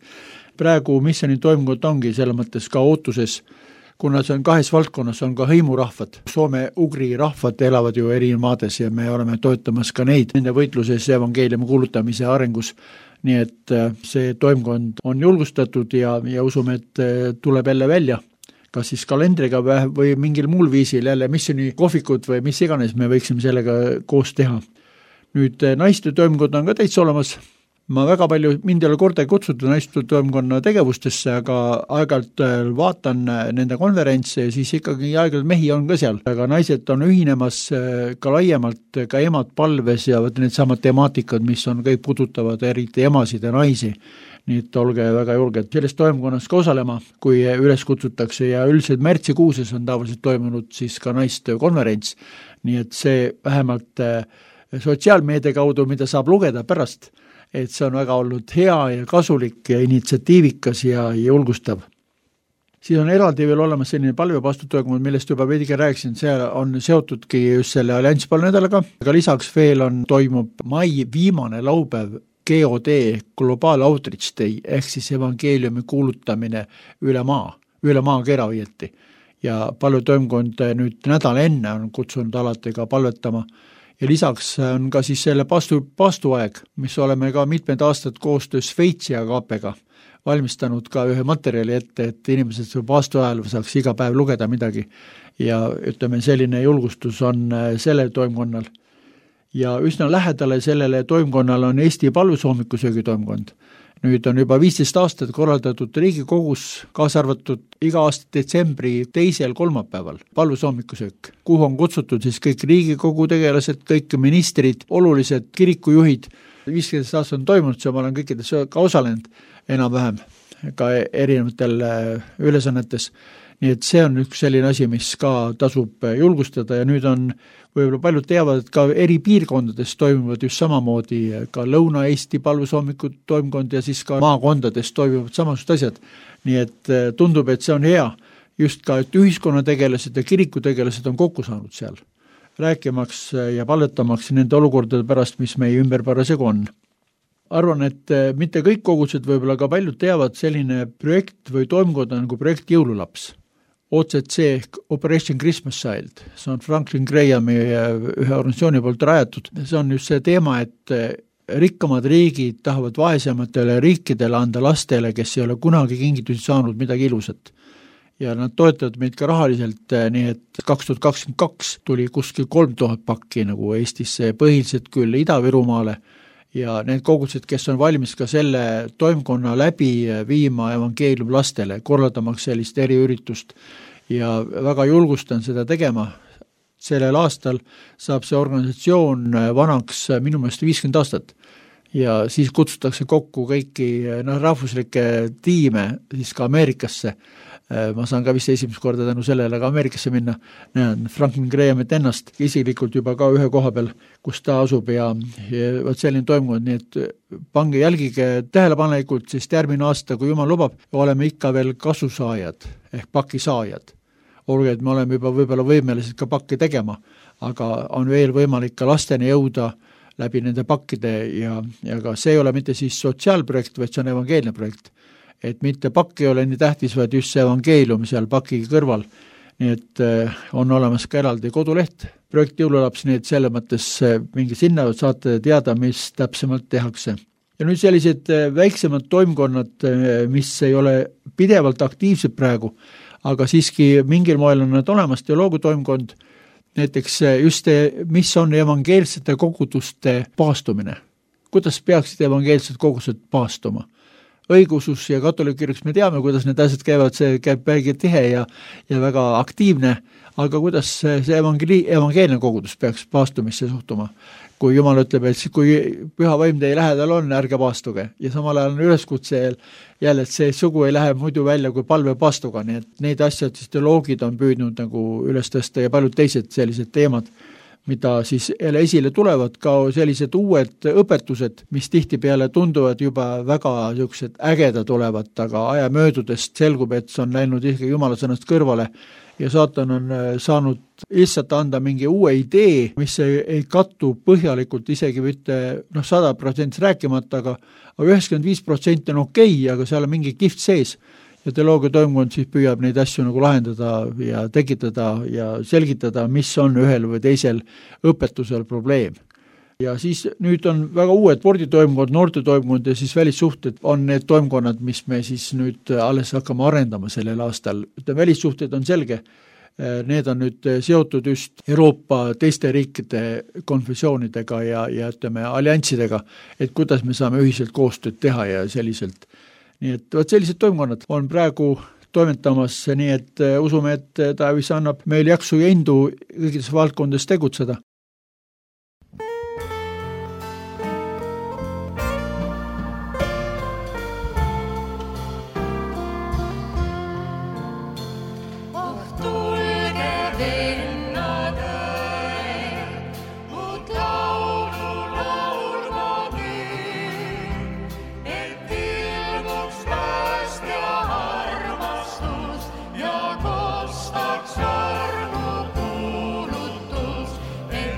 Praegu missionitoimkond ongi selle mõttes ka ootuses, kuna see on 2 valdkonnas, on ka hõimurahvad. Soome-ugri rahvad elavad ju eri maades ja me oleme toetamas ka neid nende võitluses evangeeliumi kuulutamise arengus. Nii et see toimkond on julgustatud ja usume, et tuleb jälle välja, kas siis kalendriga või mingil muul viisil jälle missioni kohvikud või mis iganes me võiksime sellega koos teha. Nüüd naiste toimkond on ka täitsa olemas. Ma väga palju, mind ei ole korda kutsutud naiste toimkonna tegevustesse, aga aeg-ajalt vaatan nende konverentse ja siis ikkagi aeg-ajalt mehi on ka seal. Aga naised on ühinemas ka laiemalt, ka emad palves ja need samad temaatikad, mis on kõik puudutavad eriti emasid ja naisi. Nii et olge väga julged selles toimkonnas ka osalema, kui üles kutsutakse ja üldiselt märtsikuuses on tavaliselt toimunud siis ka naiste konverents. Nii et see vähemalt sotsiaalmeedia kaudu, mida saab lugeda pärast, et see on väga olnud hea ja kasulik ja initsiatiivikas ja julgustav. Siis on eraldi veel olemas selline palvepastuttoimkond, millest juba veidike rääkisin, see on seotudki just selle allianspalvenädalaga, aga lisaks veel toimub mai viimane laupäev GOD, Global Outreach Day, ehk siis evangeeliumi kuulutamine üle maakera õieti. Ja palvetoimkond nüüd nädal enne on kutsunud alati ka palvetama. Ja lisaks on ka siis selle pastuaeg, mis oleme ka mitmed aastad koostöös Šveitsi ja KP-ga valmistanud ka ühe materjali ette, et inimesed pastuajal saaks iga päev lugeda midagi. Ja ütleme, selline julgustus on selle toimkonnal. Ja üsna lähedale sellele toimkonnal on Eesti palvesoomikusöögi toimkond. Nüüd on juba 15 aastat korraldatud Riigikogus, kaasa arvatud iga aasta detsembri 2. kolmapäeval palvesoomikusöök, kuhu on kutsutud siis kõik Riigikogu tegelased, kõik ministrid, olulised kirikujuhid. 15 aastat on toimunud, see ma olen kõikides ka osalenud enam-vähem ka erinevatel ülesannetes. Nii et see on üks selline asi, mis ka tasub julgustada ja nüüd on võib-olla paljud teavad, et ka eri piirkondades toimuvad just samamoodi ka Lõuna-Eesti palvesoomikud toimkond ja siis ka maakondades toimuvad samasugused asjad. Nii et tundub, et see on hea just ka, et ühiskonnategelased ja kirikutegelased on kokku saanud seal, rääkimaks ja palvetamaks nende olukordade pärast, mis meie ümber parasjagu on. Arvan, et mitte kõik kogudused võib-olla ka paljud teavad selline projekt või toimkond nagu projekt Jõululaps. OCC, Operation Christmas Child, see on Franklin Grahami ühe organisatsiooni poolt rajatud. See on just see teema, et rikkamad riigid tahavad vaesematele riikidele anda lastele, kes ei ole kunagi kingitusi saanud midagi ilusat. Ja nad toetavad meid ka rahaliselt, nii et 2022 tuli kuskil 3000 pakki nagu Eestisse, põhiliselt küll Ida-Virumaale. Ja need kogudused, kes on valmis ka selle toimkonna läbi viima evangeelium lastele, korraldamaks sellist eriüritust ja väga julgustan seda tegema. Sellel aastal saab see organisatsioon vanaks minu meelest 50 aastat ja siis kutsutakse kokku kõiki rahvuslikke tiime siis ka Ameerikasse ma saan ka vist esimest korda tänu sellele ka Ameerikasse minna, näen Franklin Grahamit ennast isiklikult juba ka ühe koha peal, kus ta asub ja võt selline toimub, nii et pange jälgige tähelepanelikult, sest järgmine aasta, kui jumal lubab, oleme ikka veel kasusaajad ehk pakisaajad. Olge, et me oleme juba võib-olla võimelised ka pakke tegema, aga on veel võimalik ka lasteni jõuda läbi nende pakkide ja ka see ei ole mitte siis sotsiaalprojekt, vaid see on evangeelne projekt. Et mitte pakk ei ole nii tähtis, vaid just see evangeelium seal paki kõrval. Nii et on olemas ka eraldi koduleht, projekt Jõululaps, nii et selle mõttes mingi sinna saate teada, mis täpsemalt tehakse. Ja nüüd sellised väiksemad toimkonnad, mis ei ole pidevalt aktiivsed praegu, aga siiski mingil moel on nad olemas, teoloogutoimkond, näiteks just mis on evangeelsete koguduste paastumine. Kuidas peaksid evangeelsed kogudused paastuma? Õigusus ja katoliikirjaks me teame, kuidas need asjad käivad, see käib väga tihe ja väga aktiivne, aga kuidas see evangeelne kogudus peaks paastumisse suhtuma? Kui Jumal ütleb, et kui püha vaim teie lähedal on, ärge paastuge. Ja samal ajal on üleskutse jälle, et see sugu ei lähe muidu välja kui palve paastuga, nii et neid asjad siis teoloogid on püüdnud nagu üles tõsta ja paljud teised sellised teemad, mida siis jälle esile tulevad, ka sellised uued õpetused, mis tihtipeale tunduvad juba väga niisugused ägedad olevat, aga aja möödudest selgub, et see on läinud ikkagi Jumala sõnast kõrvale ja saatan on saanud lihtsalt anda mingi uue idee, mis ei kattu põhjalikult isegi mitte 100% rääkimata, aga 95% on okei, aga seal on mingi kiht sees. Ja teoloogia toimkond siis püüab neid asju nagu lahendada ja tekitada ja selgitada, mis on ühel või teisel õpetusel probleem. Ja siis nüüd on väga uued sporditoimkond, noortetoimkond ja siis välissuhted on need toimkonnad, mis me siis nüüd alles hakkame arendama sellel aastal. Välissuhted on selge, need on nüüd seotud just Euroopa teiste riikide konfessioonidega ja ütleme allianssidega, et kuidas me saame ühiselt koostööd teha ja selliselt. Nii et sellised toimkonnad on praegu toimetamas, nii et usume, et Taevis annab meil jaksu ja indu kõikides valdkondades tegutseda. Ja kostaks armu kuulutus, et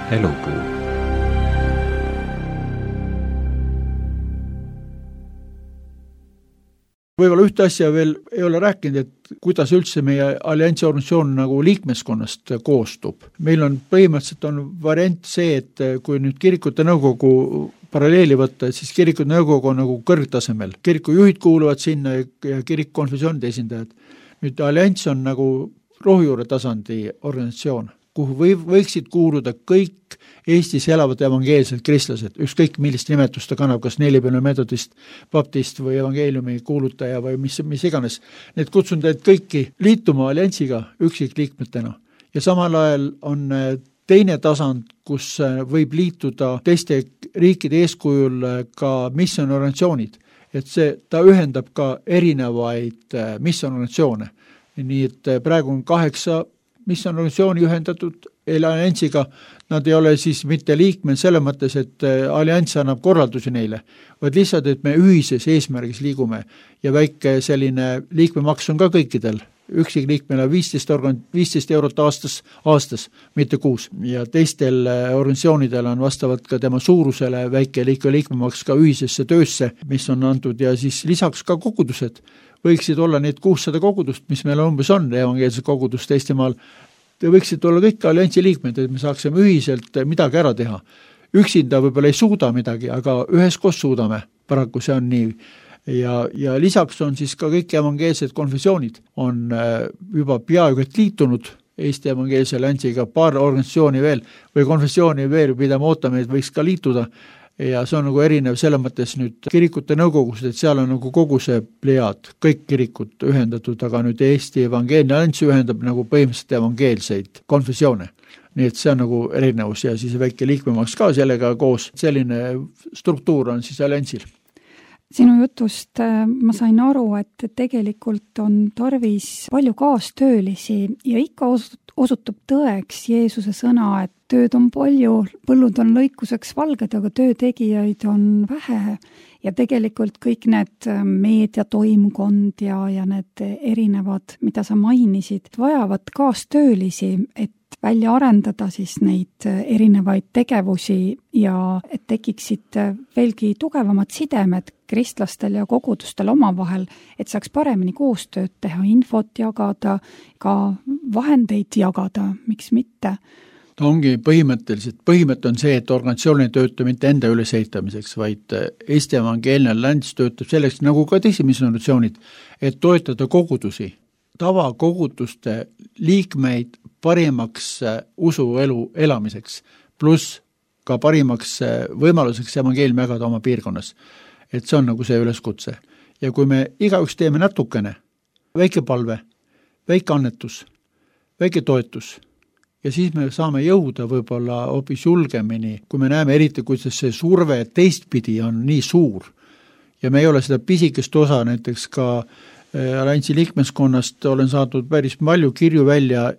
Elupuu. Võib-olla ühte asja veel ei ole rääkinud, et kuidas üldse meie alliansi organisatsioon nagu liikmeskonnast koostub. Meil on põhimõtteliselt on variant see, et kui nüüd kirikute nõukogu paralleeli võtta, siis kirikute nõukogu on nagu kõrgtasemel. Kirikujuhid kuuluvad sinna ja kirikkonfessioonide esindajad. Nüüd allianss on nagu rohujuure tasandi organisatsioon, kuhu võiksid kuuluda kõik Eestis elavad evangeelsed kristlased, ükskõik millist nimetust ta kannab, kas nelipilne metodist, baptist või evangeeliumi kuulutaja või mis iganes. Need kutsun teid kõiki liituma alliansiga üksikliikmetena. Ja samal ajal on teine tasand, kus võib liituda teiste riikide eeskujul ka missionorganisatsioonid. Et ta ühendab ka erinevaid missionorganisatsioone. Nii et praegu on 8 missionorganisatsiooni ühendatud alliansiga, nad ei ole siis mitte liikmed selle mõttes, et allianss annab korraldusi neile, vaid lihtsalt, et me ühises eesmärgis liigume ja väike selline liikmemaks on ka kõikidel. Üksikliikmele 15 eurot aastas, mitte kuus. Ja teistel organisatsioonidel on vastavalt ka tema suurusele väike liikmemaks ka ühisesse töösse, mis on antud ja siis lisaks ka kogudused. Võiksid olla need 600 kogudust, mis meil umbes on, evangeelsed kogudust Eestimaal. Te võiksid olla kõik alliansi liikmed, et me saaksime ühiselt midagi ära teha. Üksinda võib-olla ei suuda midagi, aga üheskoos suudame. Paraku see on nii. Ja lisaks on siis ka kõik evangeelsed konfessioonid on juba peaaegu et liitunud Eesti evangeelse alliansiga, paar organisatsiooni veel või konfessiooni veel, mida me ootame, et võiks ka liituda. Ja see on nagu erinev selle mõttes nüüd kirikute nõukogust, et seal on nagu kogu see plejaad, kõik kirikud ühendatud, aga nüüd Eesti evangeelne allianss ühendab nagu põhimõtteliselt evangeelseid konfessioone. Nii et see on nagu erinevus ja siis väike liikmemaks ka sellega koos. Selline struktuur on siis alliansil. Sinu jutust ma sain aru, et tegelikult on tarvis palju kaastöölisi ja ikka osutub tõeks Jeesuse sõna, et tööd on palju, põllud on lõikuseks valged, aga töötegijaid on vähe. Ja tegelikult kõik need meediatoimkond ja need erinevad, mida sa mainisid, vajavad kaastöölisi, et välja arendada siis neid erinevaid tegevusi ja et tekiksid veelgi tugevamad sidemed kristlastel ja kogudustel omavahel, et saaks paremini koostööd teha, infot jagada, ka vahendeid jagada, miks mitte. Ta ongi põhimõte on see, et organisatsioon ei tööta mitte enda ülesehitamiseks, vaid Eesti evangeelne allianss töötab selleks, nagu ka teisi missioonid, et toetada kogudusi, tavakoguduste liikmeid parimaks usuelu elamiseks, pluss ka parimaks võimaluseks evangeeliumi jagada oma piirkonnas. Et see on nagu see üleskutse. Ja kui me igaüks teeme natukene, väike palve, väike annetus, väike toetus, ja siis me saame jõuda võib-olla hoopis julgemini, kui me näeme eriti, kuidas see surve teistpidi on nii suur. Ja me ei ole seda pisikest osa, näiteks ka alliansi liikmeskonnast olen saadud päris palju kirju välja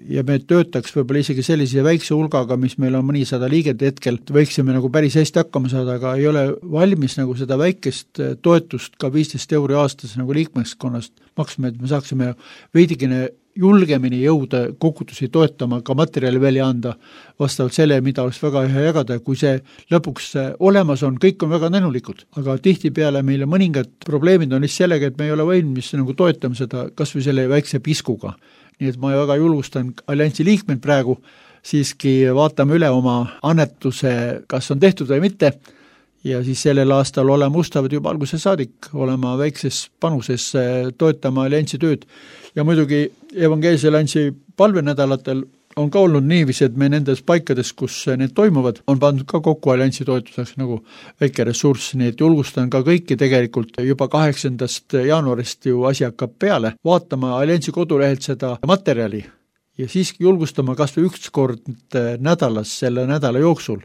ja me töötaks võib-olla isegi sellise väikse hulgaga, mis meil on mõnisada liiget hetkel, võiksime nagu päris hästi hakkama saada, aga ei ole valmis nagu seda väikest toetust ka 15 euro aastas nagu liikmeskonnast maksma, et me saaksime veidikene julgemini jõuda kogudusi toetama, ka materjali välja anda vastavalt selle, mida oleks väga hea jagada. Kui see lõpuks olemas on, kõik on väga tänulikud, aga tihtipeale meile mõningad probleemid on lihtsalt sellega, et me ei ole valmis nagu toetama seda kas või selle väikse piskuga. Nii et ma väga julgustan alliansi liikmed praegu, siiski vaatame üle oma annetuse, kas on tehtud või mitte, ja siis sellel aastal oleme ustavad juba alguse saadik, olema väikses panuses toetama alliansi tööd. Ja muidugi evangeelse alliansi palvenädalatel on ka olnud niiviisi, et me nendes paikades, kus need toimuvad, on pandud ka kokku alliansi toetuseks nagu väike ressurss, nii et julgustan ka kõiki tegelikult juba 8. jaanuarist ju asi hakkab peale, vaatama alliansi kodulehelt seda materjali ja siiski julgustama kas või üks kord nädalas selle nädala jooksul.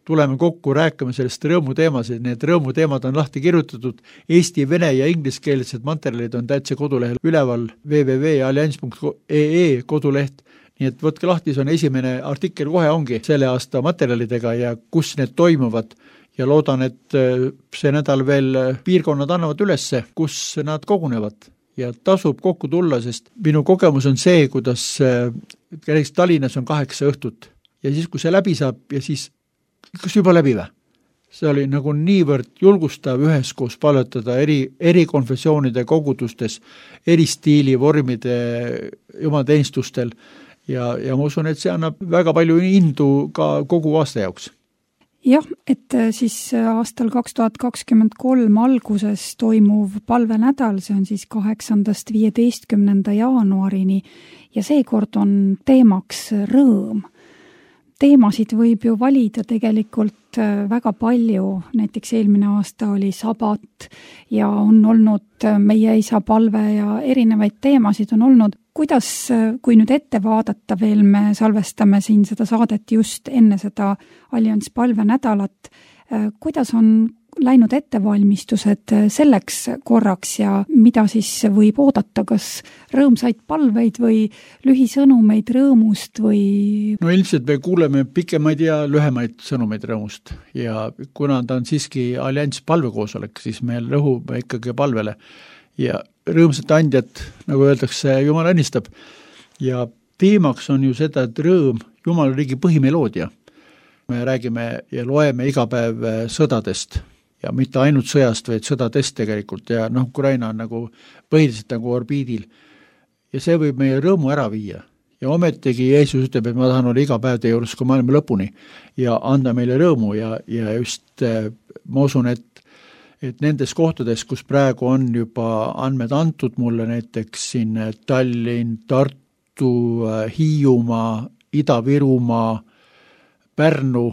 Tuleme kokku, rääkame sellest rõõmuteemasid, need rõõmuteemad on lahti kirjutatud, eesti, vene ja ingliskeelsed materjalid on täitsa kodulehel üleval www.allianz.ee koduleht. Nii et võtke lahti, see on esimene artikkel kohe ongi selle aasta materjalidega ja kus need toimuvad ja loodan, et see nädal veel piirkonnad annavad ülesse, kus nad kogunevad ja tasub kokku tulla, sest minu kogemus on see, kuidas Tallinnas on 8 õhtut ja siis, kui see läbi saab ja siis, kas juba läbi või? See oli nagu niivõrd julgustav üheskoos palvetada eri konfessioonide kogudustes, eri stiili vormide jumalateenistustel ja ma usun, et see annab väga palju indu ka kogu aasta jaoks. Jah, et siis aastal 2023 alguses toimuv palvenädal, see on siis 8.–15. jaanuarini ja seekord on teemaks rõõm. Teemasid võib ju valida tegelikult väga palju, näiteks eelmine aasta oli sabat ja on olnud meie isa palve ja erinevaid teemasid on olnud. Kuidas, kui nüüd ette vaadata veel, me salvestame siin seda saadet just enne seda Allianz palvenädalat, kuidas on läinud ettevalmistused selleks korraks ja mida siis võib oodata, kas rõõmsaid palveid või lühisõnumeid rõõmust või? No ilmselt me kuuleme pikemaid ja lühemaid sõnumeid rõõmust ja kuna ta on siiski Allianz palvekoosolek, siis me rõhume ikkagi palvele ja rõõmsat andjat, nagu öeldakse, Jumal õnnistab ja teemaks on ju seda, et rõõm, Jumala riigi põhimeloodia. Me räägime ja loeme iga päev sõdadest ja mitte ainult sõjast, vaid sõdadest tegelikult ja Ukraina on nagu põhiliselt nagu orbiidil ja see võib meie rõõmu ära viia ja ometigi Jeesus ütleb, et ma tahan olla iga päev teie juures kui maailma lõpuni ja anda meile rõõmu ja just ma usun, et nendes kohtades, kus praegu on juba andmed antud mulle näiteks siin Tallinn, Tartu, Hiiumaa, Ida-Virumaa, Pärnu,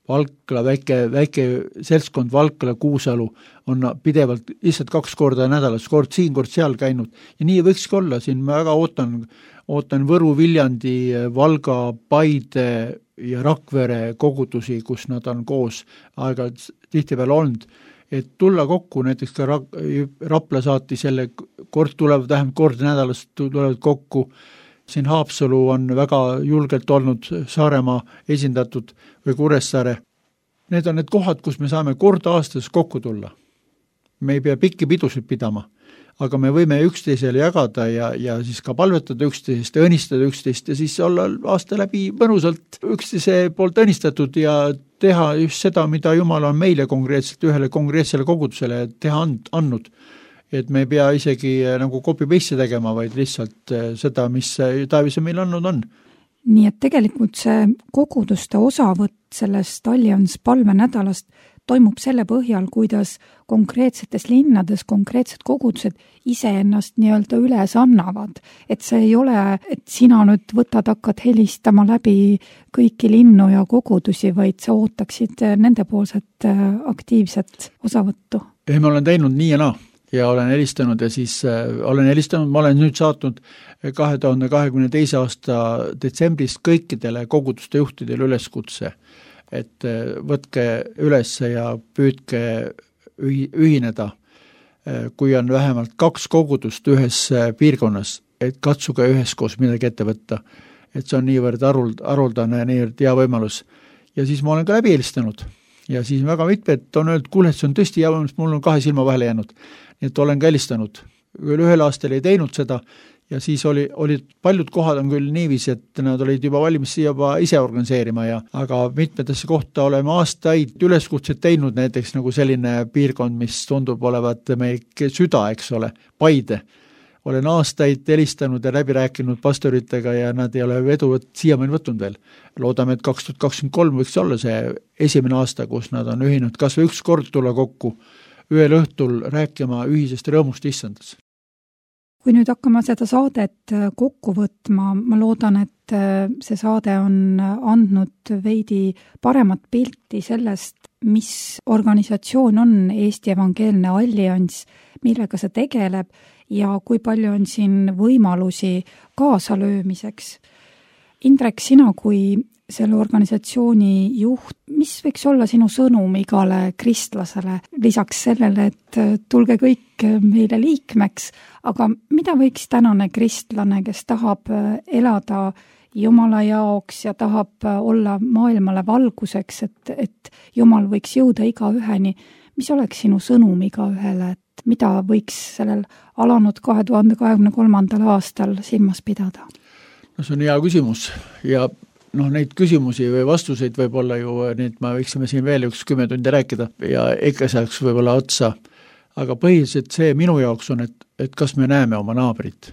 Valkla, väike seltskond Valkla, Kuusalu on pidevalt lihtsalt 2 korda nädalas, kord siin, kord seal käinud ja nii võikski olla, siin ma väga ootan Võru, Viljandi, Valga, Paide ja Rakvere kogudusi, kus nad on koos aega tihtipeale olnud, et tulla kokku, näiteks ka Rapla saati selle kord tulevad, vähemalt kord nädalas tulevad kokku, siin Haapsalu on väga julgelt olnud Saaremaa esindatud või Kuressaare. Need on need kohad, kus me saame kord aastas kokku tulla. Me ei pea pikki pidusid pidama, aga me võime üksteisele jagada ja siis ka palvetada üksteisest ja õnnistada üksteist ja siis olla aasta läbi mõnusalt üksteise poolt õnnistatud ja teha just seda, mida Jumal on meile konkreetselt ühele konkreetsele kogudusele teha andnud. Et me ei pea isegi nagu copy-paste tegema, vaid lihtsalt seda, mis Taavise meil andnud on. Nii et tegelikult see koguduste osavõtt sellest Allianz palvenädalast toimub selle põhjal, kuidas konkreetsetes linnades konkreetsed kogudused iseennast nii-öelda üles annavad. Et see ei ole, et sina nüüd võtad, hakkad helistama läbi kõiki linnu ja kogudusi, vaid sa ootaksid nendepoolset aktiivset osavõttu. Ei, ma olen teinud nii ja naa. Ja olen helistanud ja siis ma olen nüüd saatnud 2022. aasta detsembrist kõikidele koguduste juhtidele üleskutse, et võtke üles ja püüdke ühineda, kui on vähemalt 2 kogudust ühes piirkonnas, et katsuge üheskoos midagi ette võtta, et see on niivõrd haruldane, niivõrd hea võimalus. Ja siis ma olen ka läbi helistanud ja siis väga mitmed on öelnud, kuule, et see on tõesti hea võimalus, mul on 2 silma vahele jäänud. Nii et olen ka helistanud. Ühel aastal ei teinud seda ja siis olid paljud kohad on küll niiviisi, et nad olid juba valmis juba ise organiseerima aga mitmetesse kohta oleme aastaid üleskutset teinud, näiteks nagu selline piirkond, mis tundub olevat meie süda, eks ole, Paide. Olen aastaid helistanud ja läbi rääkinud pastoritega ja nad ei ole edu siiamaani võtnud veel. Loodame, et 2023 võiks olla see esimene aasta, kus nad on ühinud kas või 1 kord tulla kokku ühel õhtul rääkima ühisest rõõmust issandas. Kui nüüd hakkame seda saadet kokku võtma, ma loodan, et see saade on andnud veidi paremat pilti sellest, mis organisatsioon on Eesti Evangeelne Allianz, millega see tegeleb ja kui palju on siin võimalusi kaasalöömiseks. Indrek, sina kui selle organisatsiooni juht, mis võiks olla sinu sõnum igale kristlasele, lisaks sellele, et tulge kõik meile liikmeks, aga mida võiks tänane kristlane, kes tahab elada Jumala jaoks ja tahab olla maailmale valguseks, et Jumal võiks jõuda igaüheni, mis oleks sinu sõnum igaühele, et mida võiks sellel alanud 2023. aastal silmas pidada? No see on hea küsimus ja neid küsimusi või vastuseid võib-olla ju, neid ma võiksime siin veel 10 tundi rääkida ja ikka saaks võib-olla otsa, aga põhiliselt see minu jaoks on, et kas me näeme oma naabrit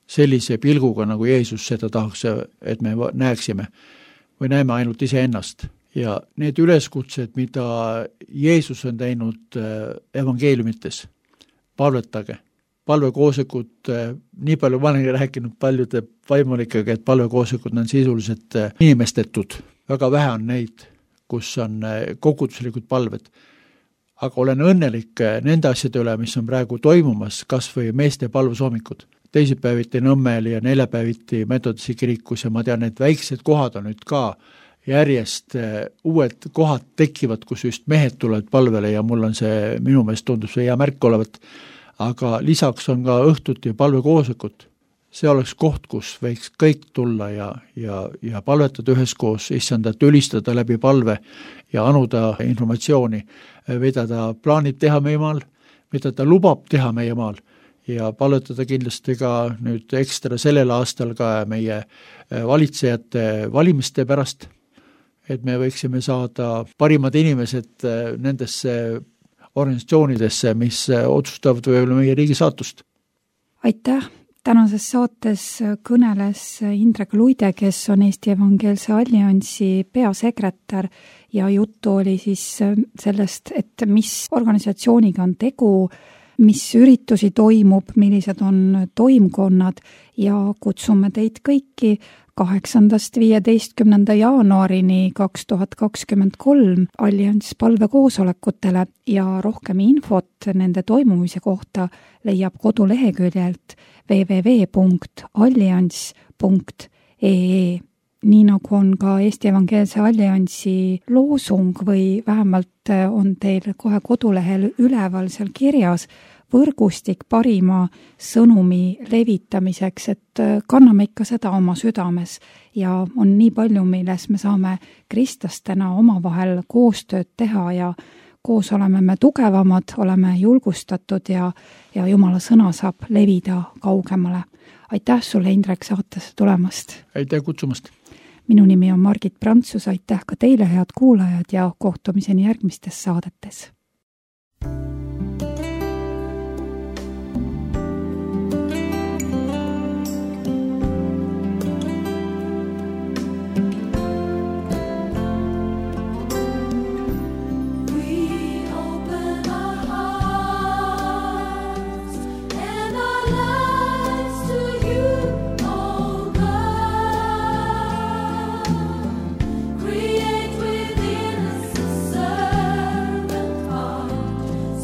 sellise pilguga, nagu Jeesus seda tahaks, et me näeksime või näeme ainult iseennast. Ja need üleskutsed, mida Jeesus on teinud evangeeliumites, palvetage. Palvekoosekud, nii palju ma olen rääkinud paljude vaimulikega, et palvekoosekud on sisuliselt inimestetud. Väga vähe on neid, kus on koguduslikud palved. Aga olen õnnelik nende asjade üle, mis on praegu toimumas, kas või meeste palvesoomikud. Teisipäeviti Nõmmel ja neljapäeviti Metodisi kirikus ja ma tean, et väiksed kohad on nüüd ka järjest uued kohad tekivad, kus just mehed tulevad palvele ja mul on see, minu meelest tundub see hea märk olevat. Aga lisaks on ka õhtut ja palvekoosekut. See oleks koht, kus võiks kõik tulla ja palvetada üheskoos, issandat ülistada läbi palve ja anuda informatsiooni, mida ta plaanib teha meie maal, mida ta lubab teha meie maal ja palvetada kindlasti ka nüüd ekstra sellel aastal ka meie valitsejate valimiste pärast, et me võiksime saada parimad inimesed nendesse organisatsioonidesse, mis otsustavad võib-olla meie riigi saatust. Aitäh! Tänases saates kõneles Indrek Luide, kes on Eesti Evangeelse Alliansi peasekretär ja juttu oli siis sellest, et mis organisatsiooniga on tegu, mis üritusi toimub, millised on toimkonnad ja kutsume teid kõiki 8.–15. jaanuarini 2023 Allianss palvekoosolekutele ja rohkem infot nende toimumise kohta leiab koduleheküljelt www.allianss.ee. Nii nagu on ka Eesti Evangeelse Alliansi loosung või vähemalt on teil kohe kodulehel üleval seal kirjas võrgustik parima sõnumi levitamiseks, et kanname ikka seda oma südames ja on nii palju, milles me saame kristlastena omavahel koostööd teha ja koos oleme me tugevamad, oleme julgustatud ja Jumala sõna saab levida kaugemale. Aitäh sulle, Indrek, saatesse tulemast! Aitäh kutsumast! Minu nimi on Margit Prantsus, aitäh ka teile, head kuulajad, ja kohtumiseni järgmistes saadetes!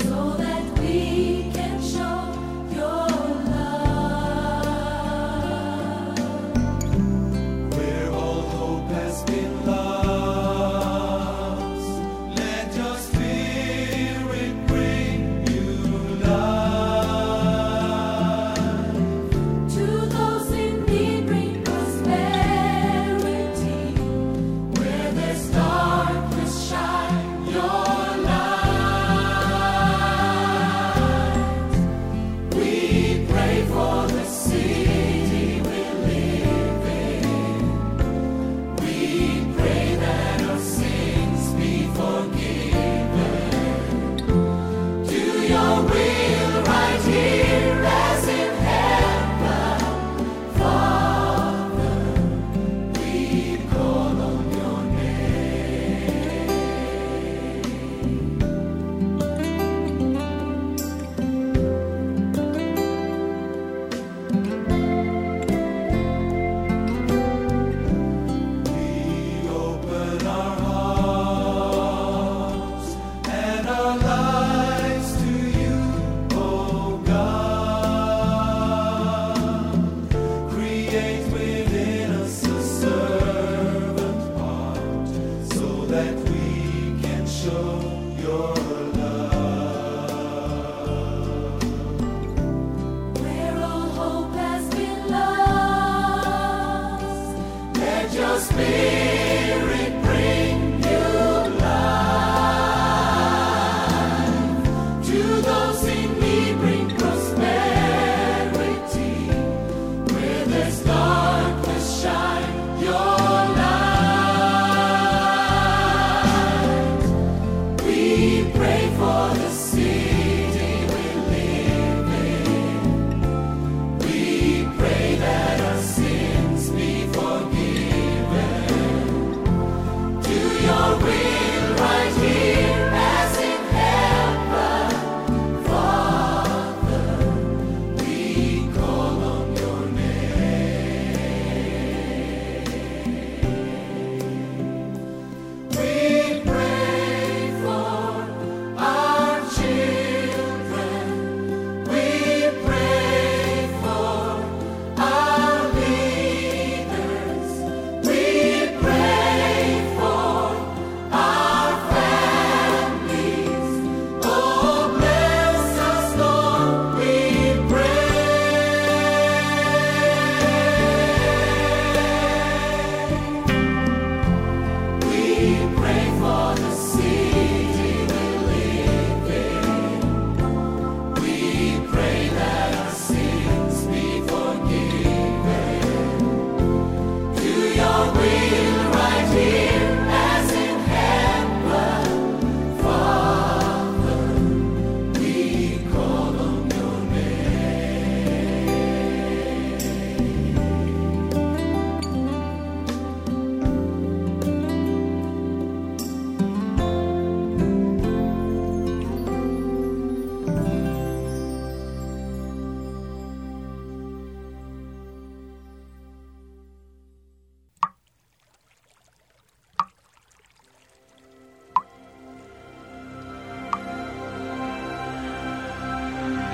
So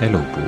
Elupuu.